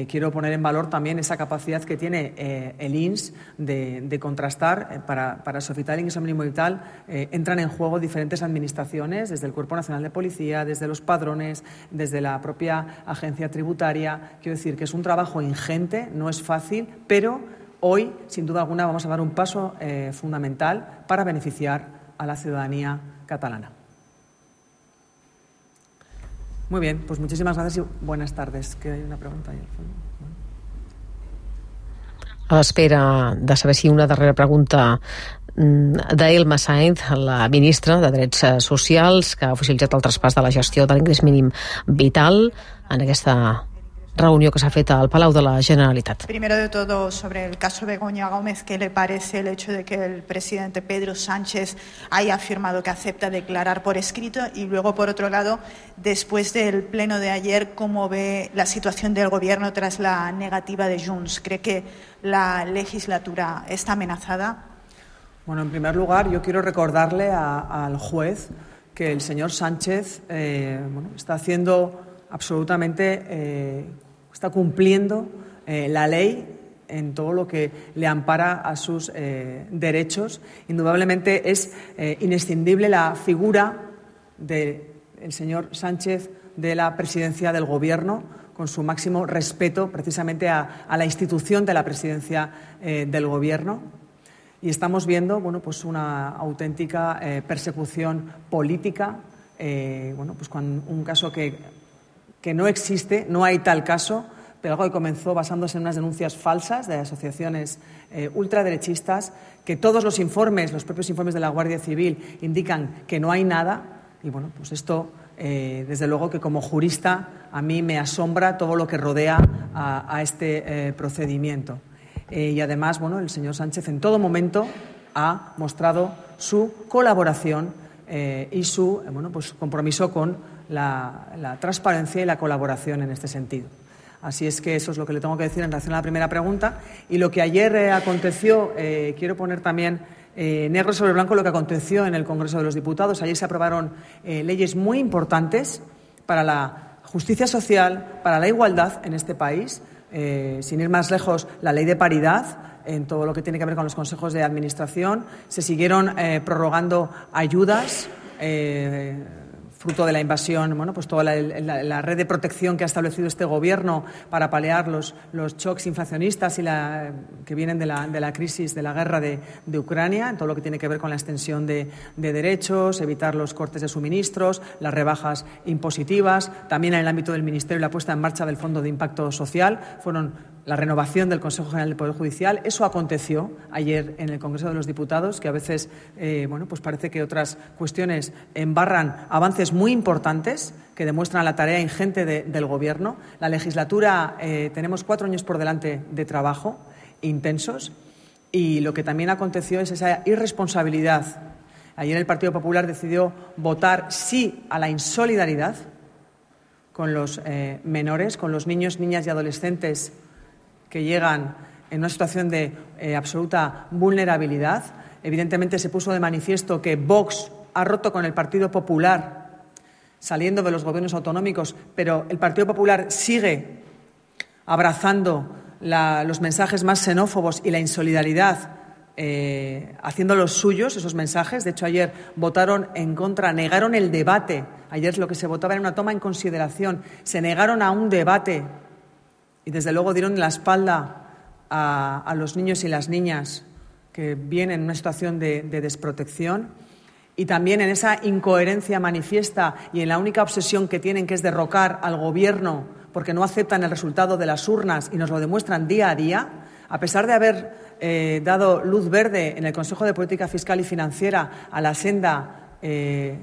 Quiero poner en valor también esa capacidad que tiene el INS de contrastar para solicitar el ingreso mínimo vital. Entran en juego diferentes administraciones, desde el Cuerpo Nacional de Policía, desde los padrones, desde la propia agencia tributaria. Quiero decir que es un trabajo ingente, no es fácil, pero hoy, sin duda alguna, vamos a dar un paso fundamental para beneficiar a la ciudadanía catalana. Muy bien, pues muchísimas gracias y buenas tardes. Que hay una pregunta ahí al fondo. A l'espera de saber si una darrera pregunta d'Elma Sainz, la ministra de Drets Socials, que ha oficialitzat el traspàs de la gestió de l'ingrés mínim vital en aquesta reunió que s'ha fet al Palau de la Generalitat. Primero de todo, sobre el caso Begoña Gómez, ¿qué le parece el hecho de que el presidente Pedro Sánchez haya afirmado que acepta declarar por escrito? Y luego, por otro lado, después del pleno de ayer, ¿cómo ve la situación del gobierno tras la negativa de Junts? ¿Cree que la legislatura está amenazada? Bueno, en primer lugar, yo quiero recordarle al juez que el señor Sánchez está haciendo absolutamente... está cumpliendo la ley en todo lo que le ampara a sus derechos. Indudablemente es inescindible la figura del señor Sánchez de la presidencia del Gobierno, con su máximo respeto precisamente a la institución de la presidencia del Gobierno. Y estamos viendo una auténtica persecución política, con un caso que no existe, no hay tal caso, pero algo que comenzó basándose en unas denuncias falsas de asociaciones ultraderechistas, que todos los propios informes de la Guardia Civil indican que no hay nada, y esto, desde luego que como jurista, a mí me asombra todo lo que rodea a este procedimiento. Y además, el señor Sánchez en todo momento ha mostrado su colaboración y su compromiso con la transparencia y la colaboración en este sentido. Así es que eso es lo que le tengo que decir en relación a la primera pregunta. Y lo que ayer aconteció, quiero poner también negro sobre blanco lo que aconteció en el Congreso de los Diputados. Ayer se aprobaron leyes muy importantes para la justicia social, para la igualdad en este país. Sin ir más lejos, la ley de paridad en todo lo que tiene que ver con los consejos de administración. Se siguieron prorrogando ayudas fruto de la invasión, toda la red de protección que ha establecido este Gobierno para paliar los shocks inflacionistas que vienen de la crisis de la guerra de Ucrania, en todo lo que tiene que ver con la extensión de derechos, evitar los cortes de suministros, las rebajas impositivas, también en el ámbito del Ministerio la puesta en marcha del Fondo de Impacto Social, fueron la renovación del Consejo General del Poder Judicial. Eso aconteció ayer en el Congreso de los Diputados, que a veces parece que otras cuestiones embarran avances muy importantes que demuestran la tarea ingente del Gobierno. La legislatura, tenemos 4 años por delante de trabajo intensos, y lo que también aconteció es esa irresponsabilidad. Ayer el Partido Popular decidió votar sí a la insolidaridad con los menores, con los niños, niñas y adolescentes que llegan en una situación de absoluta vulnerabilidad. Evidentemente se puso de manifiesto que Vox ha roto con el Partido Popular saliendo de los gobiernos autonómicos, pero el Partido Popular sigue abrazando los mensajes más xenófobos y la insolidaridad haciendo los suyos esos mensajes. De hecho, ayer votaron en contra, negaron el debate. Ayer lo que se votaba era una toma en consideración. Se negaron a un debate y, desde luego, dieron la espalda a los niños y las niñas que vienen en una situación de desprotección. Y también en esa incoherencia manifiesta y en la única obsesión que tienen, que es derrocar al Gobierno porque no aceptan el resultado de las urnas y nos lo demuestran día a día, a pesar de haber dado luz verde en el Consejo de Política Fiscal y Financiera a la senda de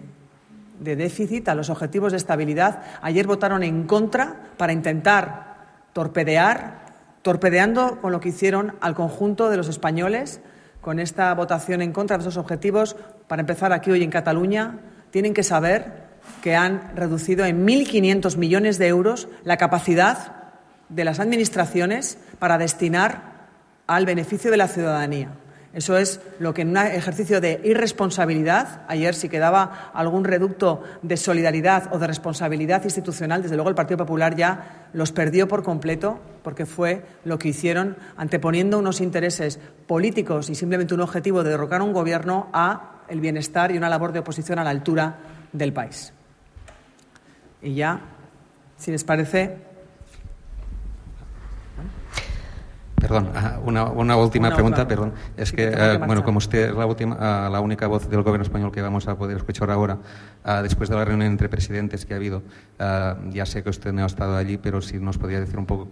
déficit, a los objetivos de estabilidad, ayer votaron en contra para intentar torpedeando con lo que hicieron al conjunto de los españoles. Con esta votación en contra de esos objetivos, para empezar aquí hoy en Cataluña, tienen que saber que han reducido en 1.500 millones de euros la capacidad de las administraciones para destinar al beneficio de la ciudadanía. Eso es lo que en un ejercicio de irresponsabilidad, ayer si quedaba algún reducto de solidaridad o de responsabilidad institucional, desde luego el Partido Popular ya los perdió por completo, porque fue lo que hicieron anteponiendo unos intereses políticos y simplemente un objetivo de derrocar a un gobierno a el bienestar y una labor de oposición a la altura del país. Y ya, si les parece... Perdón, una última pregunta, perdón. Es que, como usted es la única voz del Gobierno español que vamos a poder escuchar ahora, después de la reunión entre presidentes que ha habido, ya sé que usted no ha estado allí, pero si nos podría decir un poco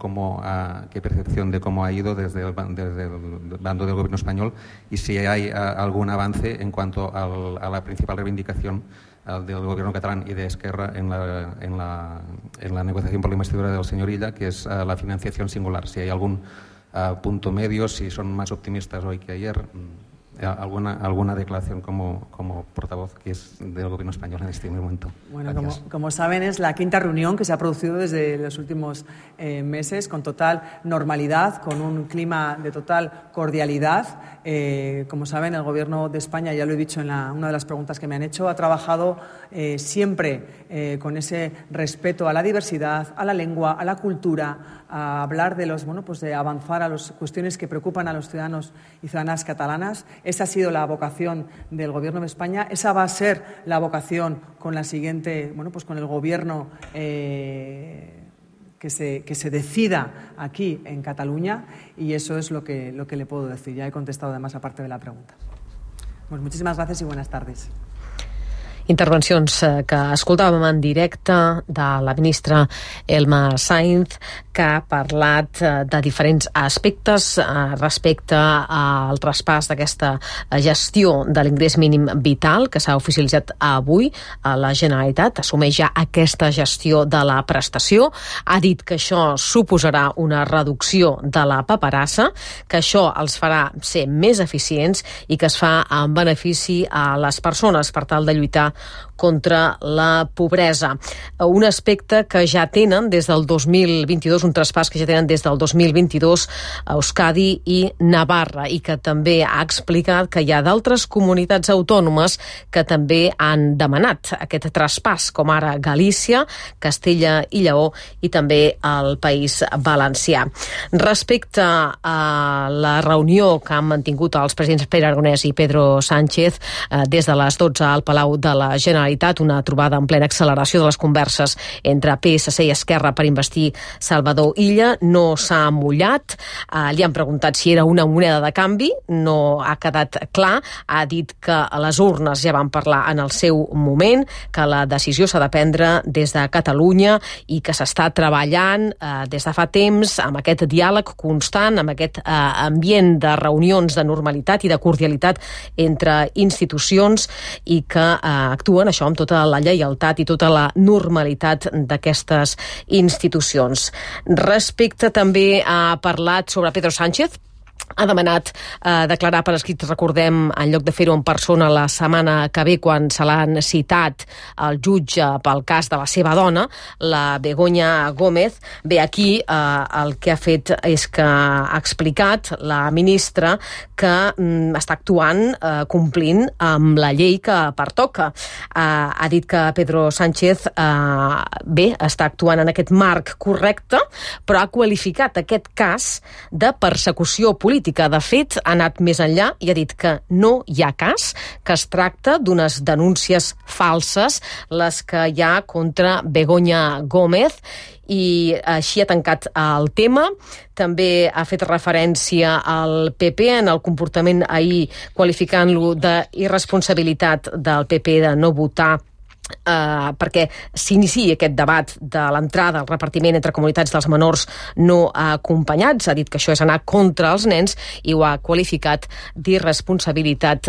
qué percepción de cómo ha ido desde el bando del Gobierno español y si hay algún avance en cuanto a la principal reivindicación del Gobierno catalán y de Esquerra en la negociación por la investidura del señor Illa, que es la financiación singular. Si hay algún punto medio, si son más optimistas hoy que ayer, alguna declaración como portavoz que es del Gobierno español en este momento. Bueno, como saben, es la quinta reunión que se ha producido desde los últimos meses con total normalidad, con un clima de total cordialidad. Como saben, el Gobierno de España, ya lo he dicho en una de las preguntas que me han hecho, ha trabajado siempre con ese respeto a la diversidad, a la lengua, a la cultura, a hablar de de avanzar a las cuestiones que preocupan a los ciudadanos y ciudadanas catalanas. Esa ha sido la vocación del Gobierno de España. Esa va a ser la vocación con la siguiente, con el Gobierno que se decida aquí en Cataluña, y eso es lo que le puedo decir. Ya he contestado además a parte de la pregunta. Pues muchísimas gracias y buenas tardes. Intervencions que escoltàvem en directe de la ministra Elma Sainz, que ha parlat de diferents aspectes respecte al traspàs d'aquesta gestió de l'ingrés mínim vital que s'ha oficialitzat avui a la Generalitat. Assumeix ja aquesta gestió de la prestació. Ha dit que això suposarà una reducció de la paperassa, que això els farà ser més eficients i que es fa en benefici a les persones per tal de lluitar contra la pobresa. Un aspecte que ja tenen des del 2022, un traspàs que ja tenen des del 2022 a Euskadi i Navarra, i que també ha explicat que hi ha d'altres comunitats autònomes que també han demanat aquest traspàs, com ara Galícia, Castella i Lleó i també el País Valencià. Respecte a la reunió que han mantingut els presidents Pere Aragonès i Pedro Sánchez des de les 12 al Palau de la Generalitat, una trobada en plena acceleració de les converses entre PSC i Esquerra per investir Salvador Illa, no s'ha mullat. Li han preguntat si era una moneda de canvi, no ha quedat clar. Ha dit que les urnes ja van parlar en el seu moment, que la decisió s'ha de prendre des de Catalunya i que s'està treballant des de fa temps amb aquest diàleg constant, amb aquest ambient de reunions de normalitat i de cordialitat entre institucions, i que actuen això amb tota la lleialtat i tota la normalitat d'aquestes institucions. Respecte també ha parlat sobre Pedro Sánchez. Ha demanat declarar per escrit, recordem, en lloc de fer-ho en persona la setmana que ve, quan se l'han citat al jutge pel cas de la seva dona, la Begoña Gómez. Bé, aquí el que ha fet és que ha explicat la ministra que està actuant complint amb la llei que pertoca. Ha dit que Pedro Sánchez està actuant en aquest marc correcte, però ha qualificat aquest cas de persecució política política. De fet, ha anat més enllà i ha dit que no hi ha cas, que es tracta d'unes denúncies falses, les que hi ha contra Begoña Gómez, i així ha tancat el tema. També ha fet referència al PP en el comportament ahir, qualificant-lo d'irresponsabilitat del PP de no votar perquè s'iniciï aquest debat de l'entrada al repartiment entre comunitats dels menors no acompanyats. Ha dit que això és anar contra els nens i ho ha qualificat d'irresponsabilitat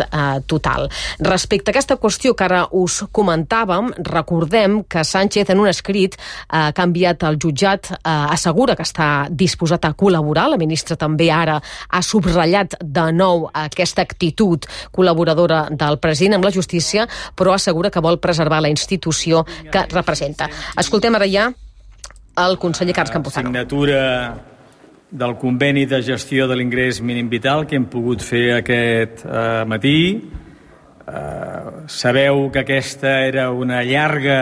total. Respecte a aquesta qüestió que ara us comentàvem, recordem que Sánchez en un escrit que ha enviat al jutjat assegura que està disposat a col·laborar. La ministra també ara ha subratllat de nou aquesta actitud col·laboradora del president amb la justícia, però assegura que vol preservar la institució que representa. Escoltem ara ja el conseller Carles Campuzano. Signatura del conveni de gestió de l'ingrés mínim vital que hem pogut fer aquest matí. Sabeu que aquesta era una llarga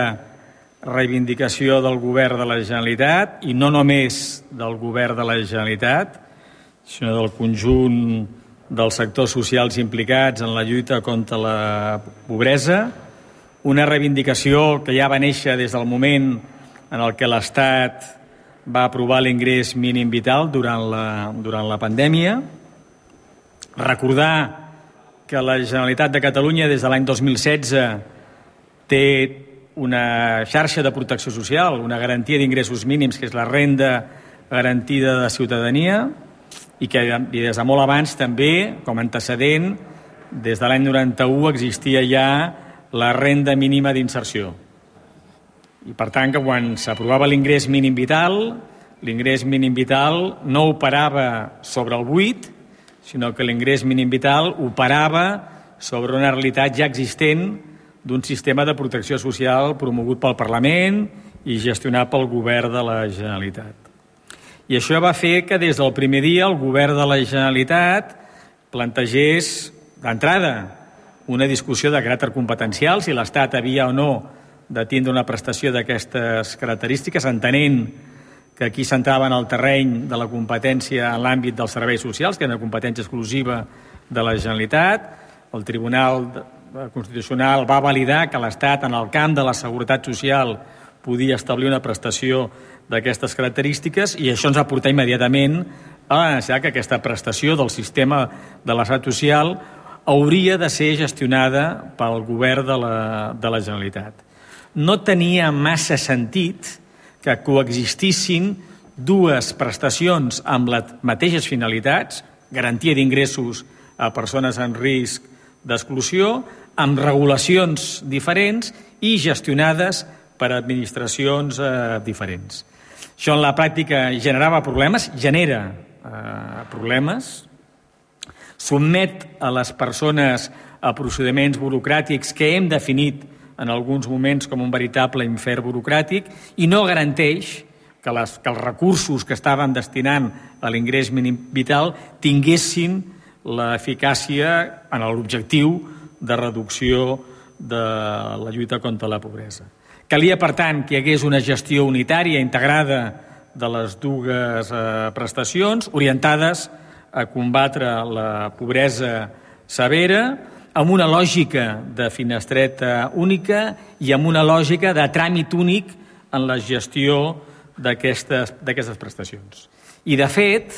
reivindicació del govern de la Generalitat, i no només del govern de la Generalitat, sinó del conjunt dels sectors socials implicats en la lluita contra la pobresa. Una reivindicació que ja va néixer des del moment en el que l'Estat va aprovar l'ingrés mínim vital durant la pandèmia. Recordar que la Generalitat de Catalunya des de l'any 2016 té una xarxa de protecció social, una garantia d'ingressos mínims, que és la renda garantida de ciutadania, i que des de molt abans també, com a antecedent, des de l'any 91 existia ja la renda mínima d'inserció. I per tant, que quan s'aprovava l'ingrés mínim vital no operava sobre el buit, sinó que l'ingrés mínim vital operava sobre una realitat ja existent d'un sistema de protecció social promogut pel Parlament i gestionat pel govern de la Generalitat. I això va fer que des del primer dia el govern de la Generalitat plantegés d'entrada una discussió de caràcter competencial, si l'Estat havia o no de tindre una prestació d'aquestes característiques, entenent que aquí s'entrava en el terreny de la competència en l'àmbit dels serveis socials, que és una competència exclusiva de la Generalitat. El Tribunal Constitucional va validar que l'Estat, en el camp de la seguretat social, podia establir una prestació d'aquestes característiques, i això ens va portar immediatament a la necessitat que aquesta prestació del sistema de l'estat social hauria de ser gestionada pel govern de la Generalitat. No tenia massa sentit que coexistissin dues prestacions amb les mateixes finalitats, garantia d'ingressos a persones en risc d'exclusió, amb regulacions diferents i gestionades per administracions diferents. Això en la pràctica generava problemes, genera problemes, sotmet a les persones a procediments burocràtics que hem definit en alguns moments com un veritable infern burocràtic, i no garanteix que els recursos que estaven destinant a l'ingrés mínim vital tinguessin l'eficàcia en l'objectiu de reducció de la lluita contra la pobresa. Calia, per tant, que hi hagués una gestió unitària, integrada de les dues prestacions, orientades a combatre la pobresa severa, amb una lògica de finestreta única i amb una lògica de tràmit únic en la gestió d'aquestes prestacions. I, de fet,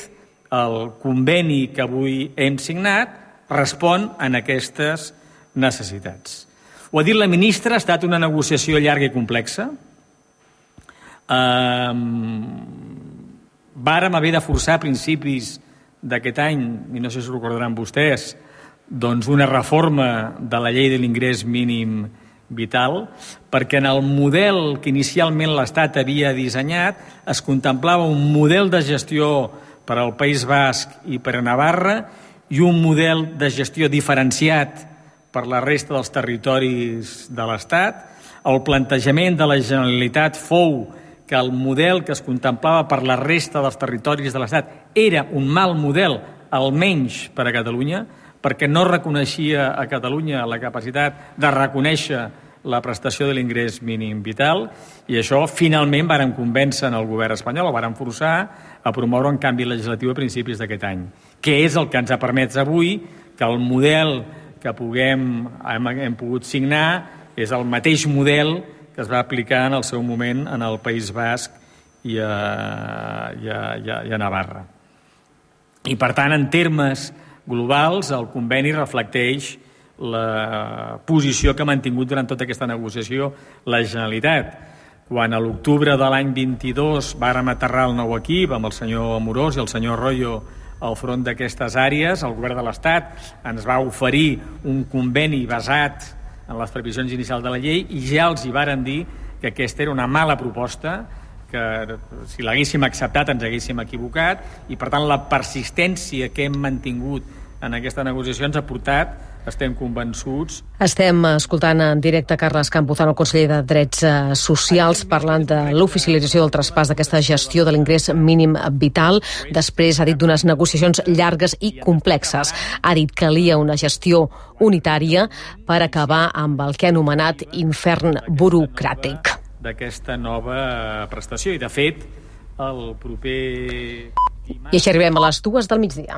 el conveni que avui hem signat respon a aquestes necessitats. Ho ha dit la ministra, ha estat una negociació llarga i complexa. Vàrem haver de forçar a principis d'aquest any, i no sé si ho recordaran vostès, doncs una reforma de la llei de l'ingrés mínim vital, perquè en el model que inicialment l'Estat havia dissenyat es contemplava un model de gestió per al País Basc i per a Navarra i un model de gestió diferenciat per la resta dels territoris de l'Estat. El plantejament de la Generalitat fou que el model que es contemplava per la resta dels territoris de l'Estat era un mal model, almenys per a Catalunya, perquè no reconeixia a Catalunya la capacitat de reconèixer la prestació de l'ingrés mínim vital, i això finalment varen convèncer el govern espanyol, o varen forçar a promoure un canvi legislatiu a principis d'aquest any, que és el que ens ha permès avui que el model que hem pogut signar és el mateix model que es va aplicar en el seu moment en el País Basc i a Navarra. I per tant, en termes globals, el conveni reflecteix la posició que ha mantingut durant tota aquesta negociació la Generalitat. Quan a l'octubre de l'any 22 vàrem aterrar el nou equip amb el senyor Amorós i el senyor Royo al front d'aquestes àrees, el govern de l'Estat ens va oferir un conveni basat en les previsions inicials de la llei i ja els hi varen dir que aquesta era una mala proposta, que si l'haguéssim acceptat ens haguéssim equivocat, i per tant la persistència que hem mantingut en aquesta negociació ens ha portat, estem convençuts. Estem escoltant en directe Carles Campuzano, conseller de Drets Socials, parlant de l'oficialització del traspàs d'aquesta gestió de l'ingrés mínim vital. Després ha dit d'unes negociacions llargues i complexes. Ha dit que calia una gestió unitària per acabar amb el que ha anomenat infern burocràtic. D'aquesta nova prestació. I, de fet, el proper... I així arribem a les 2 del migdia.